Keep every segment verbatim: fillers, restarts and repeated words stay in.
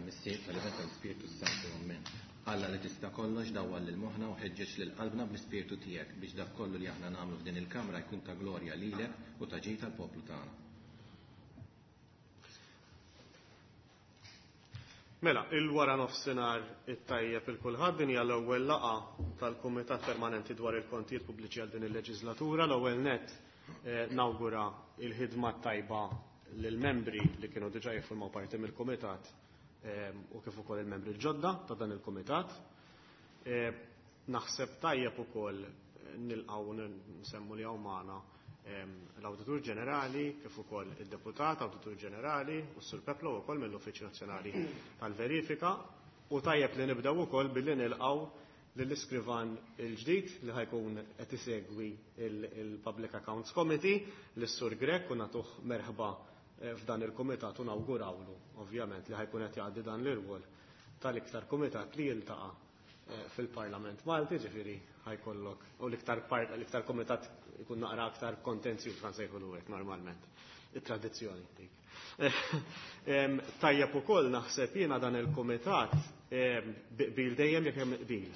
Tal-Missier, tal-Iben, tal-Ispirtu Santu. Amen. Alla li tista' kollox dawwal lil moħħna u ħeġġeġ lil qalbna bl-Ispirtu tiegħek biex dak kollu li aħna nagħmlu f'din il-kamra jkun ta' glorja lilek u ta' ġid tal-poplu tagħna. Mela, il-wara nofsinhar it-tajjeb il kulħadd. Din hija l-ewwel laqgħa tal-Kumitat Permanenti dwar il-Kontijiet Pubbliċi għal din il-leġislatura. L-ewwel nett eh, nawgura il-ħidma tajba lill-membri li kienu diġà jiffurmaw parti mill-Kumitat u kif ukoll il-membri l-ġodda ta' dan il-Kumitat. Naħseb tajjeb ukoll nilqgħu nsemmu li hawn magħna l-Awditur Ġenerali kif ukoll id-Deputat Awditur Ġenerali u s-Sur Peplo wkoll mill-Uffiċċju Nazzjonali tal-Verifika, u tajjeb li nibdew ukoll billi nilqgħu lill-iskrivan il-ġdid li ħa jkun qed isegwi il-Public Accounts Committee, lis-Sur Grech, u nagħtuh merħba f'dan il-kumitat u nawgurawlu ovvjament li ħa jkun qed jgħaddi dan l-irwol tal-iktar kumitat li jiltaqa' fil-Parlament Malti, ġifieri ħajkollok u l-iktar part l-iktar kumitat ikun naqra aktar kontenzjuż kan sejħulu hekk normalment. It-tradizzjoni dik. Tajjeb ukoll naħseb jiena dan il-kumitat bil dejjem jekk hemm qbil.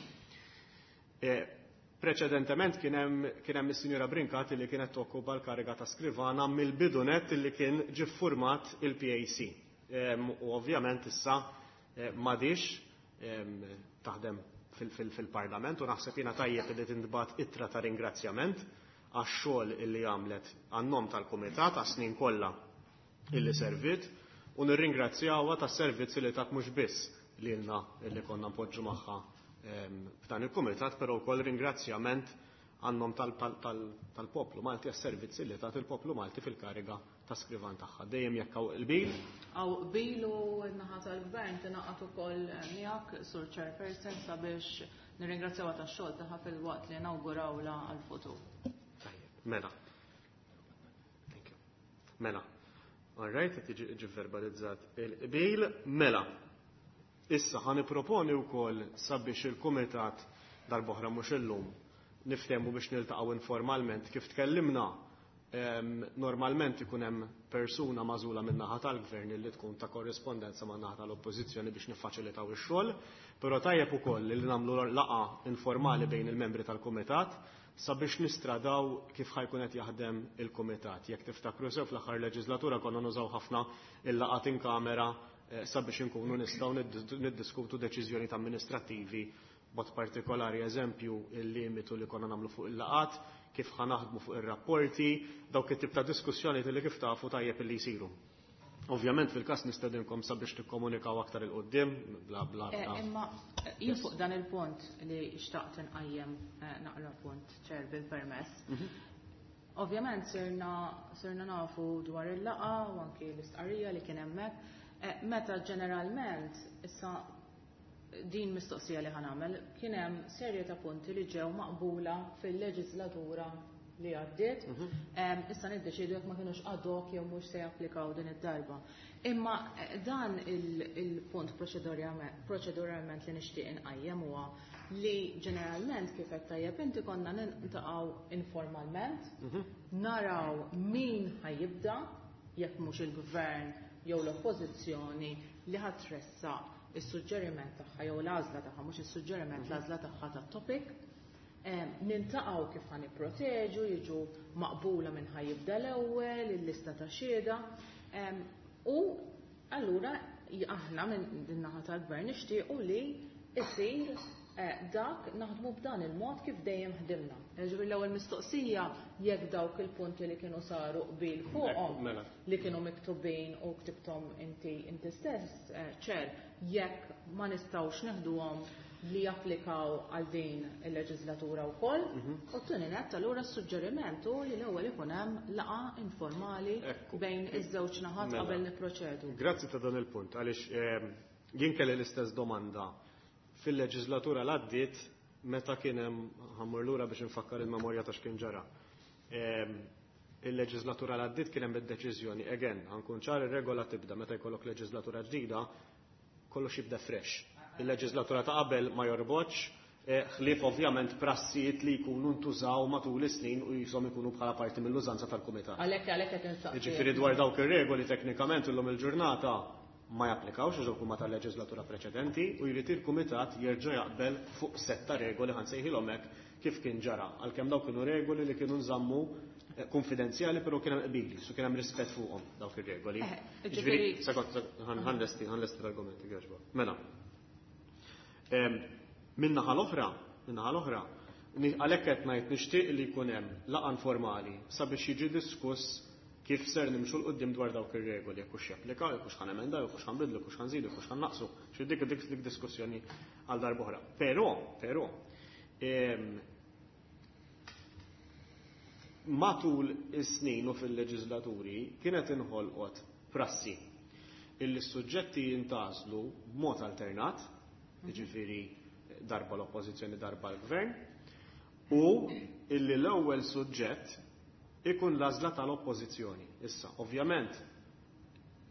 Preċedentement kien hemm kien hemm is-Sinjura Brincat li kienet tokkupa l-kariga ta' skrivana mill-bidu nett li kien ġie ffurmat il-P A C. U ovvjament issa m'għadix taħdem fil-Parlament, u naħseb jiena tajjeb li tintbagħat ittra ta' ringrazzjament għax-xogħol illi għamlet għan-nom tal-Kumitat għas-snin kollha illi servit, u nirringrazzjawha tas-servizzi li tat mhux biss lilna illi konna npoġġu magħha f'dan il-Kumitat, però wkoll ringrazzjament għan-nom tal-poplu Malti għas-servizzi li tat il-poplu Malti fil-kariga ta' skrivan tagħha. Dejjem jekk hawn qbil. Hawn qbil u n-naħa tal-Gvern tingħaqad ukoll miegħek, Sur Chairperson, sabiex nirringrazzjawha tax-xogħol tagħha fil-waqt li nawgurawla għall-futur. Tajjeb, mela. Thank you. Mela. All right, qed jiġi verbalizzat il-qbil. Mela. Issa ħa nipproponi wkoll sabiex il-Kumitat darb'oħra mhux illum niftehmu biex niltaqgħu informalment kif tkellimna. Normalment ikun hemm persuna magħżula min-naħa tal-Gvern li tkun ta' korrispondenza man-naħa tal-Oppożizzjoni biex niffaċilitaw ix-xogħol, però tajjeb ukoll li nagħmlu laqgħa informali bejn il-membri tal-Kumitat sabiex nistradaw kif ħajkun qed jaħdem il-Kumitat. Jekk tiftakru sew fl-aħħar leġislatura konna nużaw ħafna il-laqgħat in kamera sabiex inkunu nistgħu niddiskutu deċiżjonijiet amministrattivi, b'mod partikolari eżempju il-limitu li konna nagħmlu fuq il-laqgħat, kif ħa naħdmu fuq ir-rapporti, dawk it-tip ta' diskussjoni li kif tafu tajjeb illi jsiru. Ovvjament fil-każ nistedinkom sabiex tikkomunikaw aktar il quddiem, bla bla bla. Imma jien fuq dan il-punt li xtaqt inqajjem naqra punt ċer bil-permess. Ovvjament sirna sirna nafu dwar il-laqgħa u anki l-istqarrija li kien hemmhekk. Meta ġeneralment issa din mistoqsija li ħanamel, kien hemm serje ta' punti li ġew maqbula fil-leġislatura li għaddiet. Issa niddeċidu jekk ma kinux ad hoc jew mhux se japplikaw din id-darba. Imma dan il-punt proċeduralment li nixtieq inqajjem huwa li ġeneralment kif qed tajjeb inti konna niltaqgħu informalment, naraw min ħajibda jekk mhux il-gvern jew l-oppożizzjoni li ħatressaq is-suġġeriment tagħha jew l-għażla tagħha, mhux is-suġġeriment, l-għażla tagħha tat-topic. Niltaqgħu kif ħa nipproteġu, jiġu maqbula minn ħajibda l-ewwel, il-lista ta' xhieda. U allura aħna minn din naħa tal-gvern nixtiequ li jsir dak naħdmu b'dan il-mod kif dejjem ħdimna. Ġifieri l-ewwel mistoqsija jekk dawk il-punti li kienu saru qbil fuqhom li kienu miktubin u ktibthom inti inti stess, ċer, jekk ma nistgħux neħduhom li japplikaw għal din il-leġislatura wkoll, u t-tieni nett allura s-suġġeriment hu li l-ewwel ikun hemm laqgħa informali bejn iż-żewġ naħat qabel nipproċedu. Grazzi ta' dan il-punt, għaliex jien kelli l-istess domanda fil-leġislatura l-għaddiet meta kien hemm, ħammur lura biex nfakkar il-memorja ta' x'kien ġara. Il-leġislatura l-għaddiet kien hemm id-deċiżjoni, again, ħankun ċar, ir-regola tibda meta jkollok leġislatura ġdida, kollox jibda fresh. Il-leġislatura ta' qabel ma jorbotx, ħlief ovvjament prassijiet li jkunu ntużaw matul is-snin u jisom ikunu bħala parti mill-użanza tal-kumitat. Għalhekk għalhekk qed insaqsi. Jiġifieri dwar dawk ir-regoli teknikament illum il-ġurnata ma japplikawx għax dawk huma tal-leġislatura preċedenti u jrid il-kumitat jerġa' jaqbel fuq sett ta' regoli, ħa nsejħilhom hekk, kif kien ġara, għalkemm dawk kienu regoli li kienu nżammu eh, konfidenzjali, però kien hemm qbil, su kien hemm rispett fuqhom dawk ir-regoli. Eh, Ġifieri, ġifieri- sekond, ħa nlesti ħa nlesti l-argumenti għaxba. Mela. Min-naħa l-oħra, min-naħa l-oħra, għalhekk qed ngħid nixtieq li jkun hemm laqgħa informali sabiex jiġi diskuss kif ser nimxu 'l quddiem dwar dawk ir-regoli, jekk hux japplikaw, jekk hux ħa nemendaw, jekk hux ħa nbidlu, jekk hux ħa nżidu, jekk hux ħa nnaqqsu. Xi dik dik dik diskussjoni għal darb'oħra. Però, però, em, matul is-snin u fil-leġislaturi kienet inħolqot prassi illi s-suġġetti jintgħażlu b'mod alternat, jiġifieri darba l-oppożizzjoni, darba l-gvern, u illi l-ewwel suġġett ikun l-għażla tal-oppożizzjoni. Issa, ovvjament,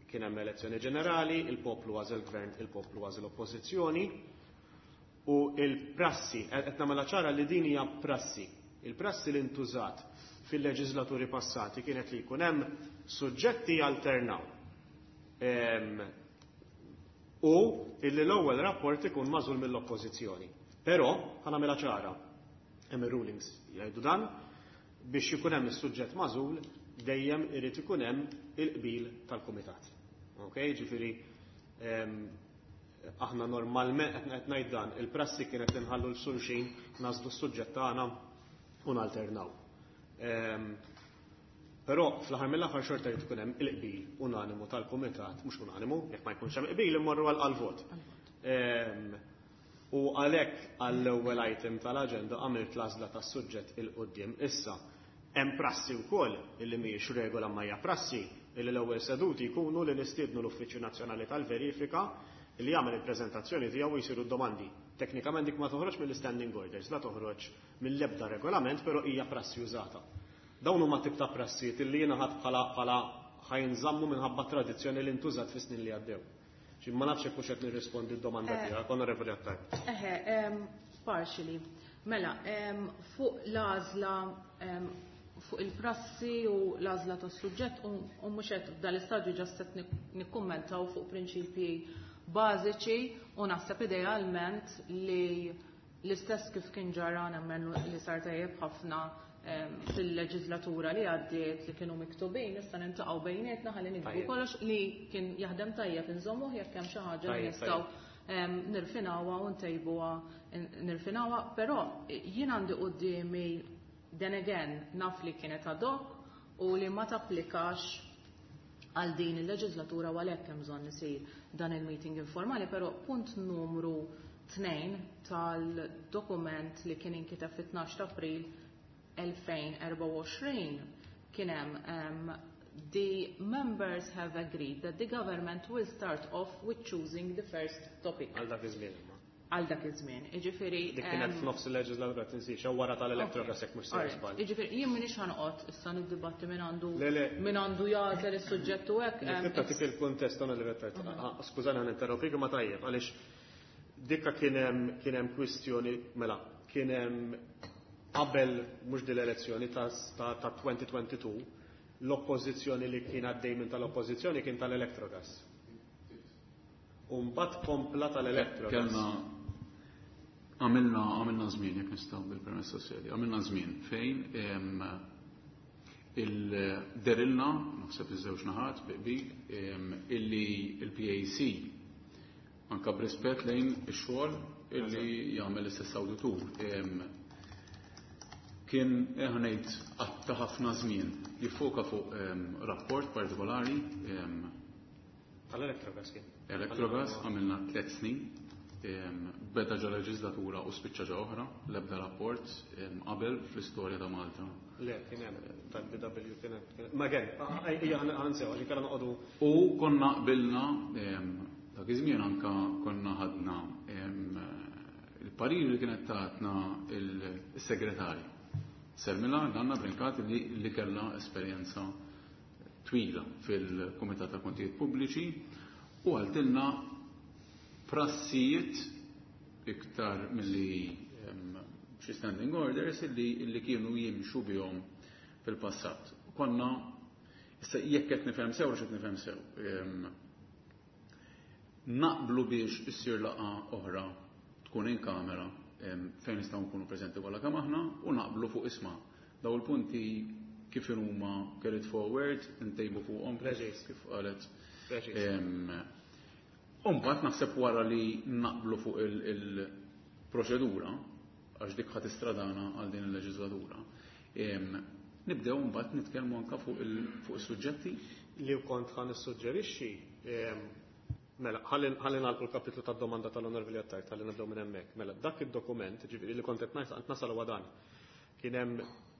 kien hemm elezzjoni ġenerali, il-poplu għażel gvern, il-poplu għażel oppożizzjoni, u il-prassi, qed nagħmilha ċara li din hija prassi. Il-prassi li ntużat fil-leġislaturi passati kienet li jkun hemm suġġetti alternaw. Em, u illi l-ewwel rapport ikun magħżul mill-oppożizzjoni. Però, ħa nagħmilha ċara, hemm ir-rulings jgħidu dan, biex ikun hemm is-suġġett magħżul dejjem irid ikun hemm il-qbil tal-kumitat. Ok, ġifieri em, aħna normalment qed ngħid dan, il-prassi kienet li nħallu lil xulxin nagħżlu s-suġġett tagħna u nalternaw. Em, Però fl-aħħar mill-aħħar xorta jrid ikun hemm il-qbil unanimu tal-kumitat, mhux unanimu, jekk ma jkunx hemm qbil immorru għal vot. Em, U għalhekk għall-ewwel item tal-aġenda għamilt l-għażla tas-suġġett 'il quddiem. Issa, hemm prassi wkoll illi mhijiex regola ma hija prassi illi l-ewwel seduti jkunu li nistiednu l-Uffiċċju Nazzjonali tal-Verifika li jagħmel il-preżentazzjoni tiegħu u jsiru d-domandi. Teknikament dik ma toħroġ mill-standing orders, la toħroġ mill-ebda regolament, però hija prassi użata. Dawn huma tip ta' prassijiet illi jiena ħadt bħala bħala ħa jinżammu minħabba tradizzjoni li ntużat fis-snin li għaddew. Ġi ma nafx hekk hux qed nirrispondi d-domanda Eh. tiegħek, Onorevoli Attard. Eħe, em, partially. Mela, em, fuq l-għażla em, fuq il-prassi u l-għażla tas-suġġett u u mhux qed f'dal-istadju just qed nikkummentaw fuq prinċipji bażiċi u naħseb idealment li l-istess kif kien ġara, nemmen li sar tajjeb ħafna em, fil-leġislatura li għaddiet li kienu miktubin, issa niltaqgħu bejnietna ħalli niktbu Tajjeb. kollox li kien jaħdem tajjeb inżommuh, jekk hemm xi ħaġa li Tajjeb, nistgħu em, nirfinawha u ntejbuha nirfinawha, però jien għandi quddiemi, then again, naf li kienet ad hoc u li ma tapplikax għal din il-leġislatura u għalhekk hemm bżonn isir dan il-meeting informali, però punt numru tnejn tal-dokument li kien inkiteb fit-tnax ta' April elfejn u erbgħa u għoxrin kien hemm um, "The members have agreed that the government will start off with choosing the first topic." Għal dak iż-żmien imma. Għal dak iż-żmien. Jiġifieri Dik kienet em, f'nofs il-leġislatura, tinsiex, jew wara tal-Electrogas, jekk mhux sejjer Alright. żball. Jiġifieri jien m'iniex ħa noqgħod issa niddibatti min għandu Le, le. min għandu jagħżel is-suġġett u hekk. em, Nik tagħtik il-kuntest, Onorevoli Attard. Ah, Skużani, ħa ninterrompik, ma tajjeb għaliex dikka kien hemm kien hemm kwistjoni, mela, kien hemm qabel mhux din l-elezzjoni ta' ta' ta' elfejn u tnejn u għoxrin, l-oppożizzjoni li kien għaddej minn tal-oppożizzjoni kien tal-Electrogas. U mbagħad kompla tal-Electrogas. Kellna għamilna għamilna żmien, jekk nistgħu bil-permess tas-sedi, għamilna żmien fejn em, il-derilna, naħseb iż-żewġ naħat bi qbil, em, illi il-P A C anka b'rispett lejn ix-xogħol illi jagħmel l-istess awditur, em, kien ħa ngħid qatta' ħafna żmien jiffoka fuq em, rapport partikolari em, Tal-Electrogas kien. Electrogas, għamilna tliet snin, em, beda ġa leġislatura u spiċċa ġa oħra, l-ebda rapport em, qabel fl-istorja ta' Malta. Le, kien hemm tal-B W kien hemm. kien hemm. Ma again, hija ħa nsew għax inkella noqogħdu. U konna qbilna em, dak iż-żmien anka konna ħadna em, il-parir li kienet tatna il-segretarju. Selmila Ganna Brincat li, li kellha esperjenza twila fil-Kumitat ta' Kontijiet Pubbliċi u qaltilna prassijiet iktar milli em, xi standing orders illi, illi kienu jimxu bihom fil-passat. Konna, issa jekk qed nifhem sew, qed nifhem sew. Em, Naqblu biex issir laqgħa oħra tkun in kamera fejn nistgħu nkunu preżenti kollha kemm aħna u naqblu fuq isma' daw il-punti kif huma carried forward, ntejbu fuqhom kif qalet. Imbagħad naħseb wara li naqblu fuq il-proċedura, għax dik ħadd istradana għal din il-leġislatura, nibdew mbagħad nitkellmu anke fuq is-suġġetti. Li kont ħa nissuġġerixxi, mela, ħalli nagħlqu l-kapitlu tad-domanda tal-Onorevoli Attard, ħalli nibdew minn hemmhekk. Mela, dak id-dokument, ġifieri li kont qed ngħid nasal huwa dan. Kien hemm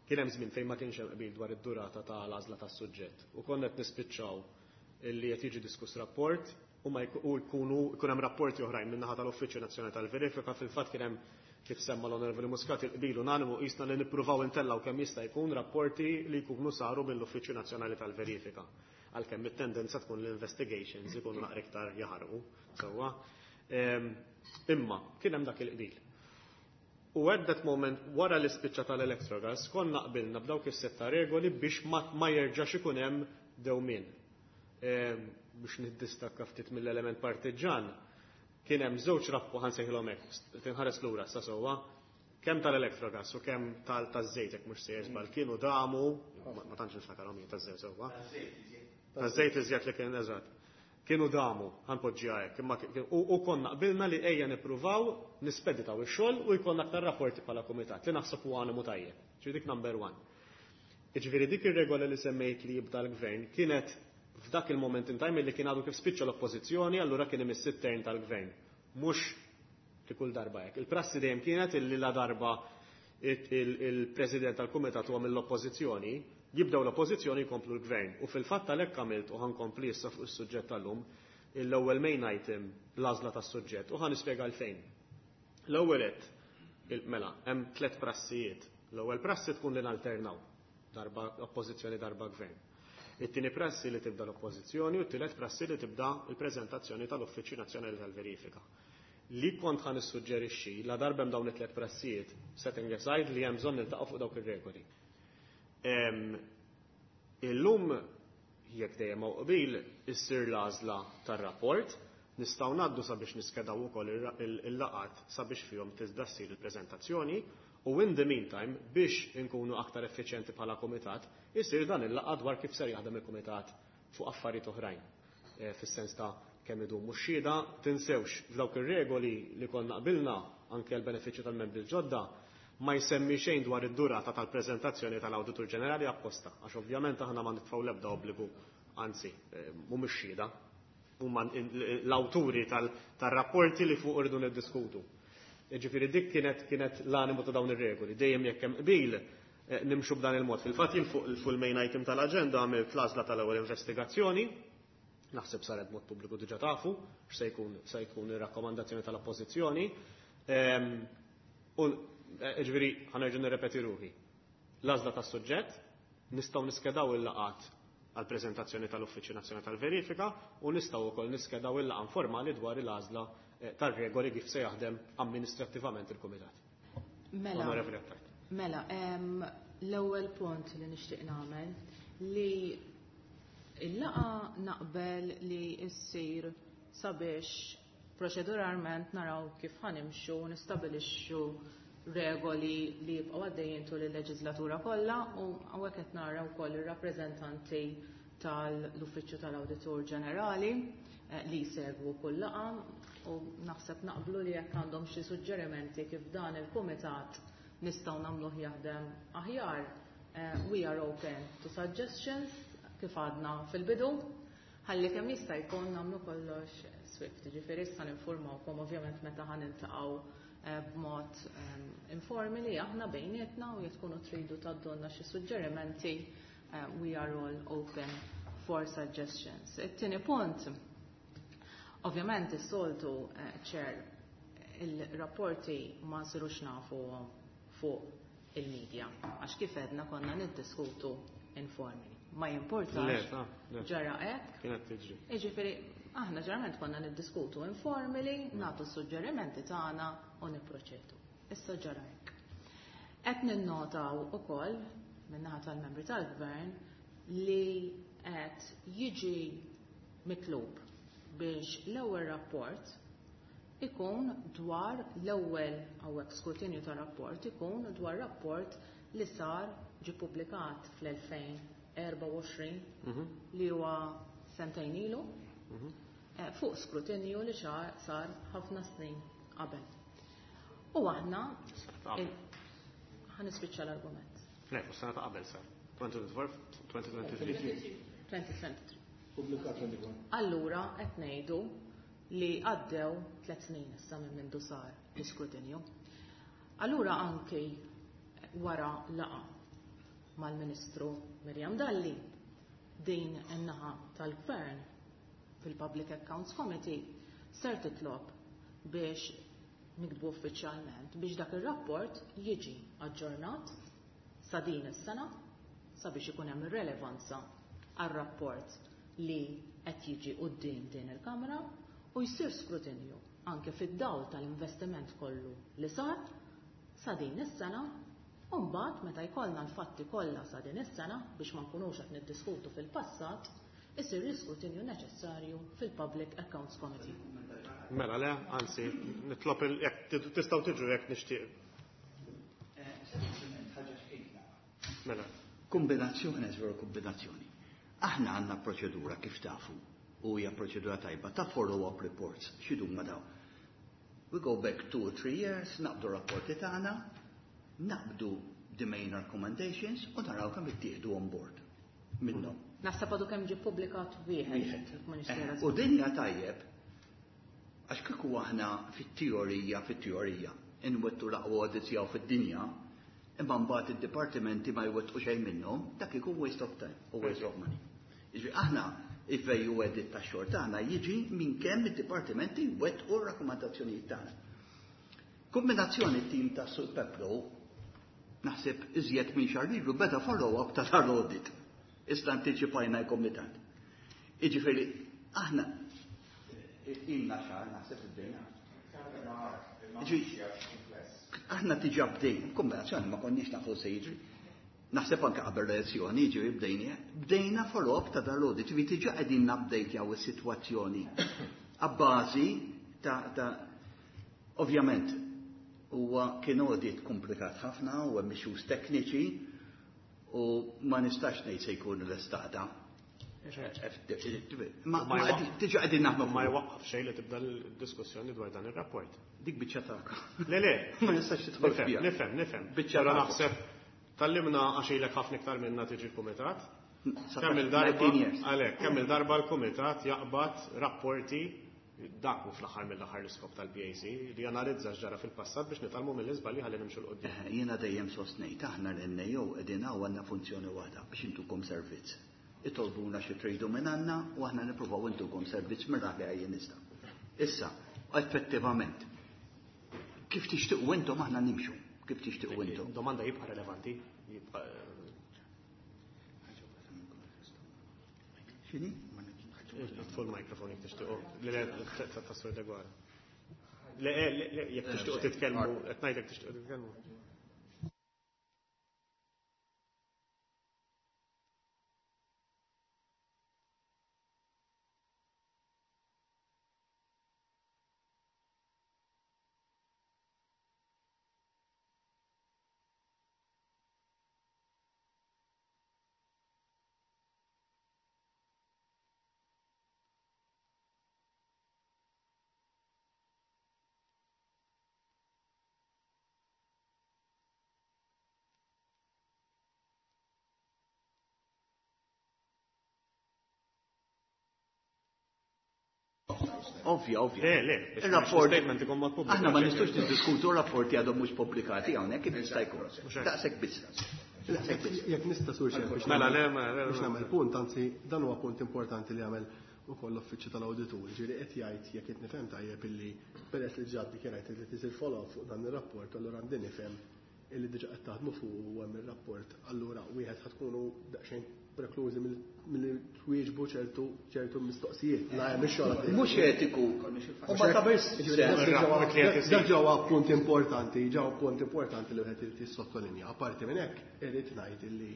kien hemm żmien fejn ma kienx hemm qbil dwar id-durata tal-għażla tas-suġġett. U konna qed nispiċċaw illi qed jiġi diskuss rapport u ma jkunu jkun hemm rapporti oħrajn min-naħa tal-Uffiċċju Nazzjonali tal-Verifika. Fil-fatt kien hemm, kif semma l-Onorevoli Muscat, il-qbil unanimu qisna li nippruvaw intellaw kemm jista' jkun rapporti li jkunu saru mill-Uffiċċju Nazzjonali tal-Verifika. Għalkemm it-tendenza tkun l-investigations ikunu naqra iktar jaħarqu sewwa. Imma kien hemm dak il-qbil. U at that moment, wara l-ispiċċa tal-Electrogas, konna qbilna b'dawk is-setta regoli biex ma, ma jerġax ikun hemm dewmien. Biex niddistakka ftit mill-element partiġan, kien hemm żewġ rapporti, ħa nsejħilhom hekk, tinħares lura sa sewwa, kemm tal-Electrogas u kemm tal-żejt, jekk mhux sejjer żball, kienu damu, ma tantx niftakarhom jien taż-żejt sewwa. Taż-żejt iżjed li kien eżatt. Kienu damu, ħa npoġġiha hekk, imma u konna qbilna li ejja nippruvaw nispeditaw ix-xogħol u jkollna aktar rapporti bħala kumitat, li naħseb huwa animu tajjeb. Ġifieri dik number one. Jiġifieri dik ir-regola li semmejt li jibda l-gvern kienet f'dak il-moment in time li kien għadu kif spiċċa l-oppożizzjoni, allura kien imiss it-turn tal-gvern. Mhux li kull darba hekk. Il-prassi dejjem kienet illi la darba il-president tal-kumitat huwa mill-oppożizzjoni, jibdew l-oppożizzjoni, jkomplu l-gvern. U fil-fatt għalhekk għamilt u ħa nkompli issa fuq is-suġġett tal-lum l-ewwel main item l-għażla tas-suġġett u ħa nispjega għalfejn. L-ewwel qed mela hemm tliet prassijiet. L-ewwel prassi tkun li nalternaw, darba oppożizzjoni, darba gvern. It-tieni prassi li tibda l-oppożizzjoni u t-tielet prassi li tibda l-preżentazzjoni tal-Uffiċċju Nazzjonali tal-Verifika. Li kont ħa nissuġġerixxi, la darba hemm dawn it-tliet prassijiet, setting aside li hemm bżonn niltaqgħu fuq dawk ir-regoli. Illum, jekk dejjem hawn qbil, issir l-għażla tar-rapport, nistgħu ngħaddu sabiex niskedaw ukoll il-laqat sabiex fihom tista' ssir il-preżentazzjoni u in the meantime, biex inkunu aktar effiċjenti bħala kumitat, isir dan il-laqgħa dwar kif ser jaħdem il-kumitat fuq affarijiet oħrajn. Fis-sens ta' kemm idumu x-xhieda, tinsewx f'dawk ir-regoli li konna qbilna anke l-benefiċċju tal-membri l-ġodda ma jsemmi xejn dwar id-durata tal-preżentazzjoni tal-Awditur Ġenerali apposta, għax ovvjament aħna ma nitfgħu l-ebda obbligu, anzi, mhumiex xhieda, huma l-awturi tar-rapporti li fuq irridu niddiskutu. Ġifieri dik kienet kienet l-animu ta' dawn ir-regoli, dejjem jekk hemm qbil nimxu b'dan il-mod. Fil-fatt jien fuq il-main item tal-aġenda għamilt l-għażla tal-ewwel investigazzjoni, naħseb saret mod pubbliku, diġà tafu x'se jkun se jkun ir-rakkomandazzjoni tal-oppożizzjoni. U ġifieri ħa nerġa' nirrepeti ruħi. L-għażla tas-suġġett, nistgħu niskedaw il-laqat għal-preżentazzjoni tal-Uffiċċju Nazzjonali tal-Verifika u nistgħu wkoll niskedaw il-laqgħa informali dwar il-għażla tar-regoli kif se jaħdem amministrattivament il-Kumitat. Mela, mela, l-ewwel punt li nixtieq nagħmel li il-laqgħa naqbel li ssir sabiex proċeduralment naraw kif ħa nimxu, nistabilixxu regoli li jibqgħu għaddejjin tul il-leġislatura kollha, u hawnhekk qed nara wkoll ir-rappreżentanti tal-Uffiċċju tal-Awditur Ġenerali li jsegwu kull laqgħa, u naħseb naqblu li jekk għandhom xi suġġerimenti kif dan il-kumitat nistgħu nagħmluh jaħdem aħjar, we are open to suggestions kif għadna fil-bidu, ħalli kemm jista' jkun nagħmlu kollox swift. Ġifieri issa ninformawkom ovvjament meta ħa niltaqgħu b'mod informali aħna bejnietna u jekk tkunu tridu tgħaddulna xi suġġerimenti, we are all open for suggestions. It-tieni punt, ovvjament is-soltu, Chair, il-rapporti ma nsirux nafu fuq il-media, għax kif edna konna niddiskutu informali. Ma jimportax, ġara hekk. Kienet tiġri. Jiġifieri aħna ġeneralment konna niddiskutu informali, nagħtu suġġerimenti tagħna u nipproċedu. Issa ġara hekk. Qed ninnotaw ukoll min-naħa tal-membri tal-gvern li qed jiġi mitlub biex l-ewwel rapport ikun dwar l-ewwel hawnhekk skrutinju ta' rapport ikun dwar rapport li sar ġie ppubblikat fl-elfejn erbgħa u għoxrin li huwa sentejn ilu fuq skrutinju li sar ħafna snin qabel. U aħna ħa nispiċċa l-argument. Le, fuq sena ta' qabel sar. twenty twenty-three. twenty twenty-three. Allura qed ngħidu li għaddew tliet snin issa minn mindu sar l-iskrutinju. Allura anki wara laqa mal-Ministru Miriam Dalli din in-naħa tal-Gvern fil-Public Accounts Committee ser titlob biex niktbu uffiċjalment biex dak ir-rapport jiġi aġġornat sa din is-sena sabiex ikun hemm relevanza għar-rapport li qed jiġi quddiem din il-Kamra u jsir skrutinju anke fid-dawl tal-investiment kollu li sar sa din is-sena u mbagħad meta jkollna l-fatti kollha sa din is-sena biex ma nkunux qed niddiskutu fil-passat isir l-iskrutinju neċessarju fil-Public Accounts Committee. Mela le, anzi, nitlob jekk tistgħu tiġu jekk nixtieq. Mela. Kombinazzjoni, żveru kombinazzjoni. Aħna għandna proċedura kif tafu u hija proċedura tajba ta' follow-up reports. X'idhuma daw? We go back two or three years, naqbdu rapporti tagħna, naqbdu the main recommendations u naraw kemm ittieħdu on board minnhom. Naħseb għadu kemm ġie ppubblikat wieħed. U din hija tajjeb għax kieku aħna fit-teorija, fit-teorija, inwettu l-aqwa audits jew fid-dinja, imma mbagħad id-dipartimenti ma jwettqu xejn minnhom, dak ikun waste of time u waste of money. Jiġifieri aħna il-value added tax-xogħol tagħna jiġi minn kemm id-dipartimenti jwettqu r-rakkomandazzjonijiet tagħna. Kombinazzjoni tim ta' Sur Peplo naħseb iżjed minn xahar ilu beda follow-up ta' tal-audit. Issa antiċipajna l-komitat. Jiġifieri aħna ilna xahar naħseb bdejna. Aħna diġà bdejna, kombinazzjoni ma konniex nafu se jiġri. Naħseb anke qabel l-elezzjoni, jiġifieri bdejna, bdejna follow-up ta' dal-audit, jiġifieri diġà qegħdin nupdatejaw is-sitwazzjoni abbażi ta' ta' ovvjament huwa kien audit komplikat ħafna u hemm issues tekniċi u ma nistax ngħid se jkun l-estada. Ma diġà qegħdin naħdmu ma jwaqqaf xejn li tibda l-diskussjoni dwar dan ir-rapport. Dik biċċa tagħka. Le le, ma nistax tidħol fiha. Nifhem, nifhem. Biċċa Però naħseb tallimna għax ilek ħafna iktar minna tiġi l-kumitat. Kemm il-darba għalhekk, kemm il-darba l-kumitat jaqbad rapporti dak hu fl-aħħar mill-aħħar l-iskop tal-P A C li janalizza x'ġara fil-passat biex nitgħallmu mill-iżbalji ħalli nimxu 'l quddiem. Jiena dejjem sostnejt aħna l-N A O qegħdin hawn għandna funzjoni waħda biex intukom servizz. Itolbuna xi tridu minn għandna u aħna nippruvaw intukom servizz minn dak li għajjin nista'. Issa, effettivament, kif tixtiequ intom aħna nimxu, kif tixtiequ intom. Domanda jibqa' relevanti, jibqa' X'inhi? Tfu l-mikrofon jekk tixtiequ. Le, le, ta' Sur Deguara. Le, le, le, jekk tixtiequ titkellmu, qed ngħidlek tixtiequ titkellmu. Ovvja, ovvja. Le, le, Il-rapport statement ikun mod pubbliku. Aħna ma nistgħux niddiskutu rapporti għadhom mhux pubblikati hawnhekk kif jista' jkun. Mhux hekk. Daqshekk biss. Daqshekk biss. Jekk nista' sur xejn biex Mela, nagħmel le, mela, le, biex mela. nagħmel punt, anzi dan huwa punt importanti li għamel ukoll l-uffiċċju tal-awditur, ġifieri qed jgħid jekk qed nifhem tajjeb illi peress li ġab dikjarajt li tisir follow-up fuq dan ir-rapport, allura għandi nifhem illi diġà qed taħdmu fuq u hemm ir-rapport, allura wieħed ħad tkunu daqsxejn preklużi mill-li twieġbu ċertu, ċertu mistoqsijiet. La hemm ix-xogħol għaddej. Mhux etiku. U ma tagħmilx Ġifieri, sens. dak ġewwa- Ir-rapport li qed isir. dak ġewwa punt importanti, ġewwa punt importanti li wieħed irid jissottolinja. Apparti minn hekk irid ngħid illi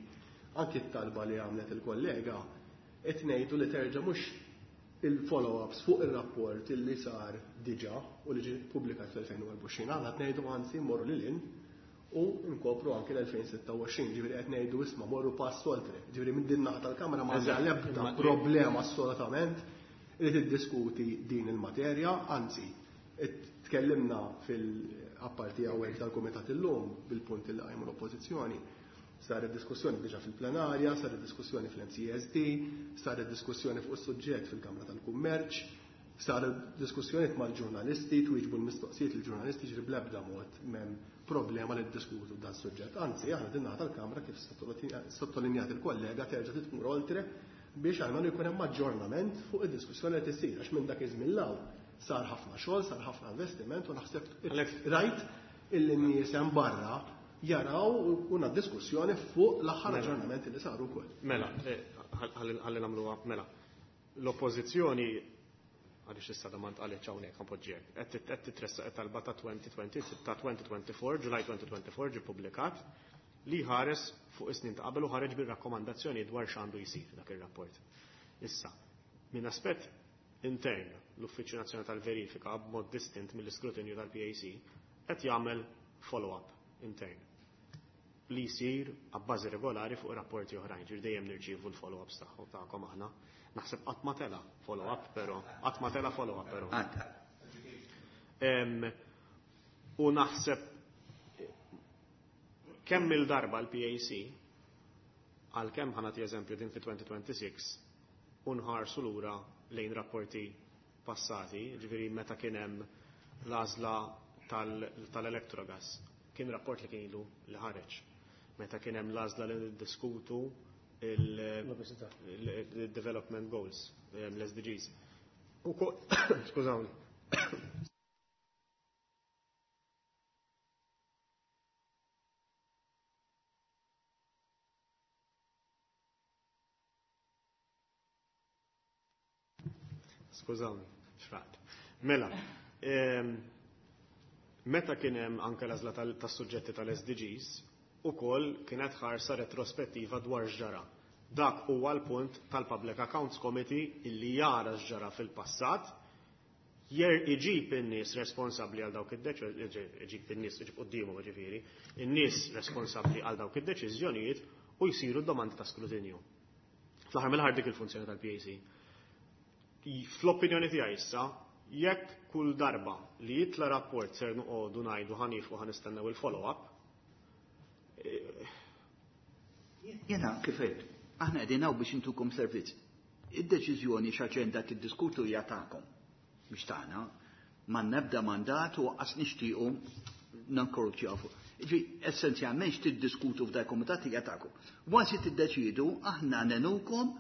anki t-talba li għamlet il-kollega qed ngħidu li terġa' mhux il-follow-ups fuq il-rapport illi sar diġa u li ġie pubblikat fl-elfejn u erbgħa u għoxrin. Aħna qed ngħidu anzi mmorru lil hinn u nkopru anke l-elfejn sitta u għoxrin, ġifieri qed ngħidu isma' morru pass oltre. Ġifieri minn din naħa tal-Kamra ma għandha l-ebda problema assolutament li tiddiskuti din il-materja, anzi tkellimna fil-apparti hawnhekk tal-Kumitat illum bil-punt li qajmu l-Oppożizzjoni. Saret diskussjoni diġà fil-plenarja, saret diskussjoni fil-M C S D, saret diskussjoni fuq is-suġġett fil-Kamra tal-Kummerċ, saret diskussjoni mal-ġurnalisti, twieġbu l-mistoqsijiet lill-ġurnalisti, ġifieri bl-ebda mod m'hemm problema li ddiskutu dan is-suġġett. Anzi, aħna din naħa tal-Kamra kif sottolinjat il-kollega terġa' titmur oltre biex għalmenu jkun hemm aġġornament fuq id-diskussjoni li tisir, għax minn dak iż-żmien 'l hawn sar ħafna xogħol, sar ħafna investiment u naħseb Għalhekk rajt illi n-nies hemm barra jaraw una diskussjoni fuq l-aħħar Mela. aġġornamenti li saru wkoll. Mela, eh, ħalli, ħalli nagħmluha, mela. L-oppożizzjoni għaliex issa da ma ntqalitx hawnhekk ħanpoġġiek. Qed tit-, qed titressaq it-talba ta' twenty twenty, ta' twenty twenty-four, July twenty twenty-four ġie ppubblikat li ħares fuq is-snin ta' qabel u ħareġ bir-rakkomandazzjoni dwar x'għandu jsir dak ir-rapport. Issa, minn aspett intern, l-Uffiċċju Nazzjonali tal-Verifika b'mod distint mill-iskrutinju tal-P A C qed jagħmel follow-up intern li jsir għabbażi regolari fuq rapporti oħrajn, ġifieri dejjem nirċievu l-follow-ups tagħhom tagħkom aħna. Naħseb qatt ma tela follow-up però, qatt ma tela follow-up però. Qatt. Em, u naħseb kemm il-darba l-P A C, għalkemm ħa nagħti eżempju din fi twenty twenty-six, u nħarsu lura lejn rapporti passati, ġifieri meta kien hemm l-għażla tal-, tal-Electrogas, kien rapport li kien ilu li ħareġ. Meta kien hemm l-għażla li niddiskutu il-, L-obesità. il-, il-development goals, ehm, l-S D Gs. U ko-, skużawni. Skużawni, xraqt. Mela, ehm, meta kien hemm anke l-għażla tal-, tas-suġġetti tal-S D Gs, ukoll kienet ħarsa retrospettiva dwar x'ġara. Dak huwa l-punt tal-Public Accounts Committee illi jara x'ġara fil-passat, jer iġib in-nies responsabbli għal dawk id-deċiżjonijiet, iġib in-nies, iġib quddiemhom ġifieri, in-nies responsabbli għal dawk id-deċiżjonijiet u jsiru domandi ta' skrutinju. Fl-aħħar mill-aħħar dik il-funzjoni tal-P A C. Fl-opinjoni tiegħi issa, jekk kull darba li jitla rapport ser noqogħdu ngħidu ħanif u ħanistennew il-follow-up. Jena kif għedt, aħna qegħdin hawn biex intukom servizz. Id-deċiżjoni x'aġenda tiddiskutu hija tagħkom, mhix tagħna. Ma nebda mandat u qas nixtiequ nankorruċjaw fuq. Ġi, essenzjalment x'tiddiskutu f'dak il-kumitat hija tagħkom. Once tiddeċidu, aħna nenukom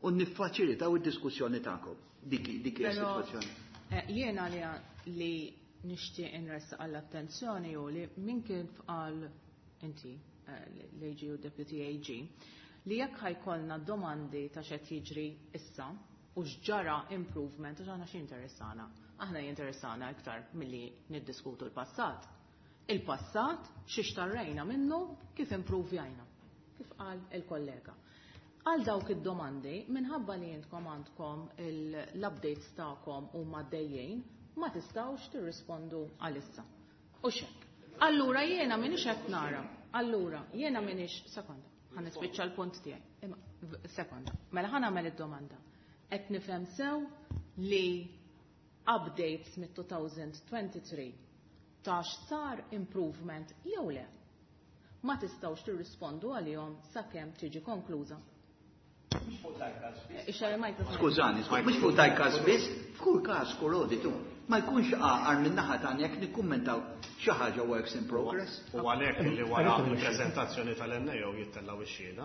u niffaċilitaw id-diskussjoni tagħkom. Dik, dik hija Però, s-sitwazzjoni. eh, jiena li, li nixtieq inressaq għall-attenzjoni u li min kien fqal inti, eh, l-A G u Deputy A G, li jekk ħajkollna domandi ta' x'qed jiġri issa u x'ġara improvement, għax aħna x'interessana? Aħna jinteressana iktar milli niddiskutu l-passat. Il-passat xi xtarrejna minnu kif improvjajna, kif qal il-kollega. Għal dawk id-domandi, minħabba li jintkom għandkom il-, l-updates tagħkom huma dejjejn, ma tistgħux tirrispondu għalissa. U xek. Allura jiena m'iniex qed nara. Allura jiena m'iniex, sekonda, ħa nispiċċa l-punt tiegħi. Imma, v-, sekonda. Mela ħa nagħmel id-domanda. Qed nifhem sew li updates mit-two thousand twenty-three ta' x'sar improvement jew le. Ma tistgħux tirrispondu għalihom sakemm tiġi konkluża. Skużani, mhux fuq dal-każ biss, f'kull każ kull auditu. Ma jkunx għaqar minn naħa tagħna jekk nikkummentaw xi ħaġa works in progress. U għalhekk li wara l-preżentazzjoni tal-N A O jittellaw ix-xhieda.